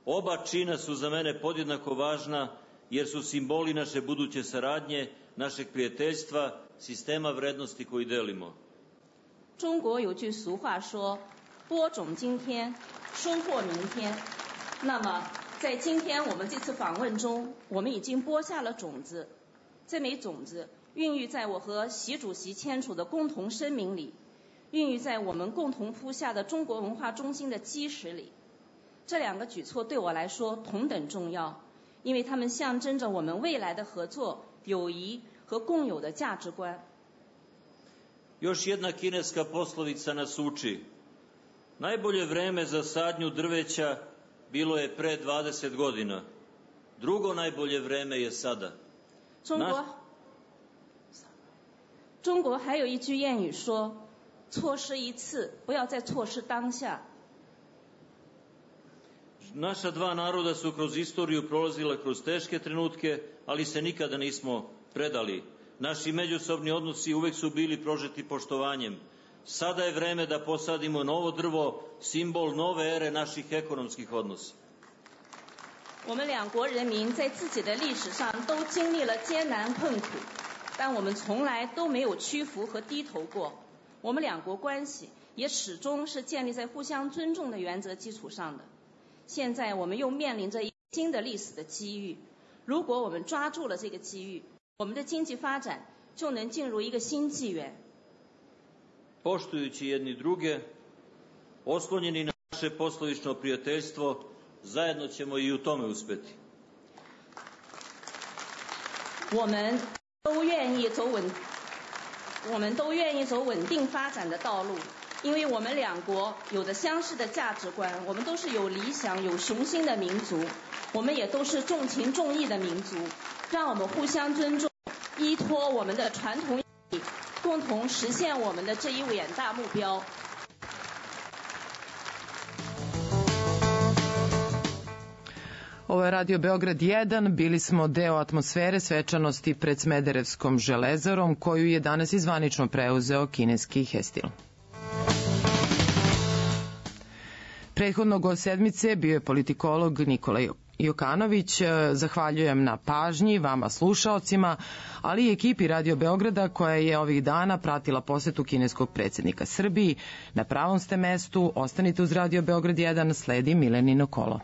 Oba čina su za mene podjednako važna, jer su simboli naše buduće saradnje, našeg prijateljstva, sistema vrednosti koji delimo. 中国有句俗话说，播种今天，收获明天。那么在今天我们这次访问中，我们已经播下了种子，这枚种子孕育在我和习主席签署的共同声明里，孕育在我们共同铺下的中国文化中心的基石里。这两个举措对我来说同等重要，因为它们象征着我们未来的合作、友谊和共有的价值观。Još jedna kineska poslovica nas uči. Najbolje vreme za sadnju drveća bilo je pre dvadeset godina. Drugo najbolje vreme je sada. 中国中国还有一句谚语说，错失一次，不要再错失当下。 Naša dva naroda su kroz istoriju prolazila kroz teške trenutke, ali se nikada nismo predali. Naši međusobni odnosi uvek su bili prožeti poštovanjem. Sada je vreme da posadimo novo drvo, simbol nove ere naših ekonomskih odnosa. 我们两国人民在自己的历史上都经历了艰难困苦，但我们从来都没有屈服和低头过。我们两国关系也始终是建立在互相尊重的原则基础上的。现在我们又面临着一个新的历史的机遇，如果我们抓住了这个机遇，我们的经济发展就能进入一个新纪元。 Poštujući jedni druge, oslonjeni na naše poslovično prijateljstvo, zajedno ćemo i u tome uspeti. 我们都愿意走稳，我们都愿意走稳定发展的道路。 因为我们两国有着相似的价值观，我们都是有理想、有雄心的民族，我们也都是重情重义的民族。让我们互相尊重，依托我们的传统意义，共同实现我们的这一远大目标。Ovo je Radio Beograd jedan, bili smo deo atmosfere svečanosti pred Smederevskom železarom, koju je danas izvanično preuzeo kineski Hestil. Prethodnog od sedmice bio je politikolog Nikola Jokanović. Zahvaljujem na pažnji vama slušaocima, ali i ekipi Radio Beograda koja je ovih dana pratila posetu kineskog predsjednika Srbiji. Na pravom ste mestu, ostanite uz Radio Beograd jedan, sledi Milenino kolo.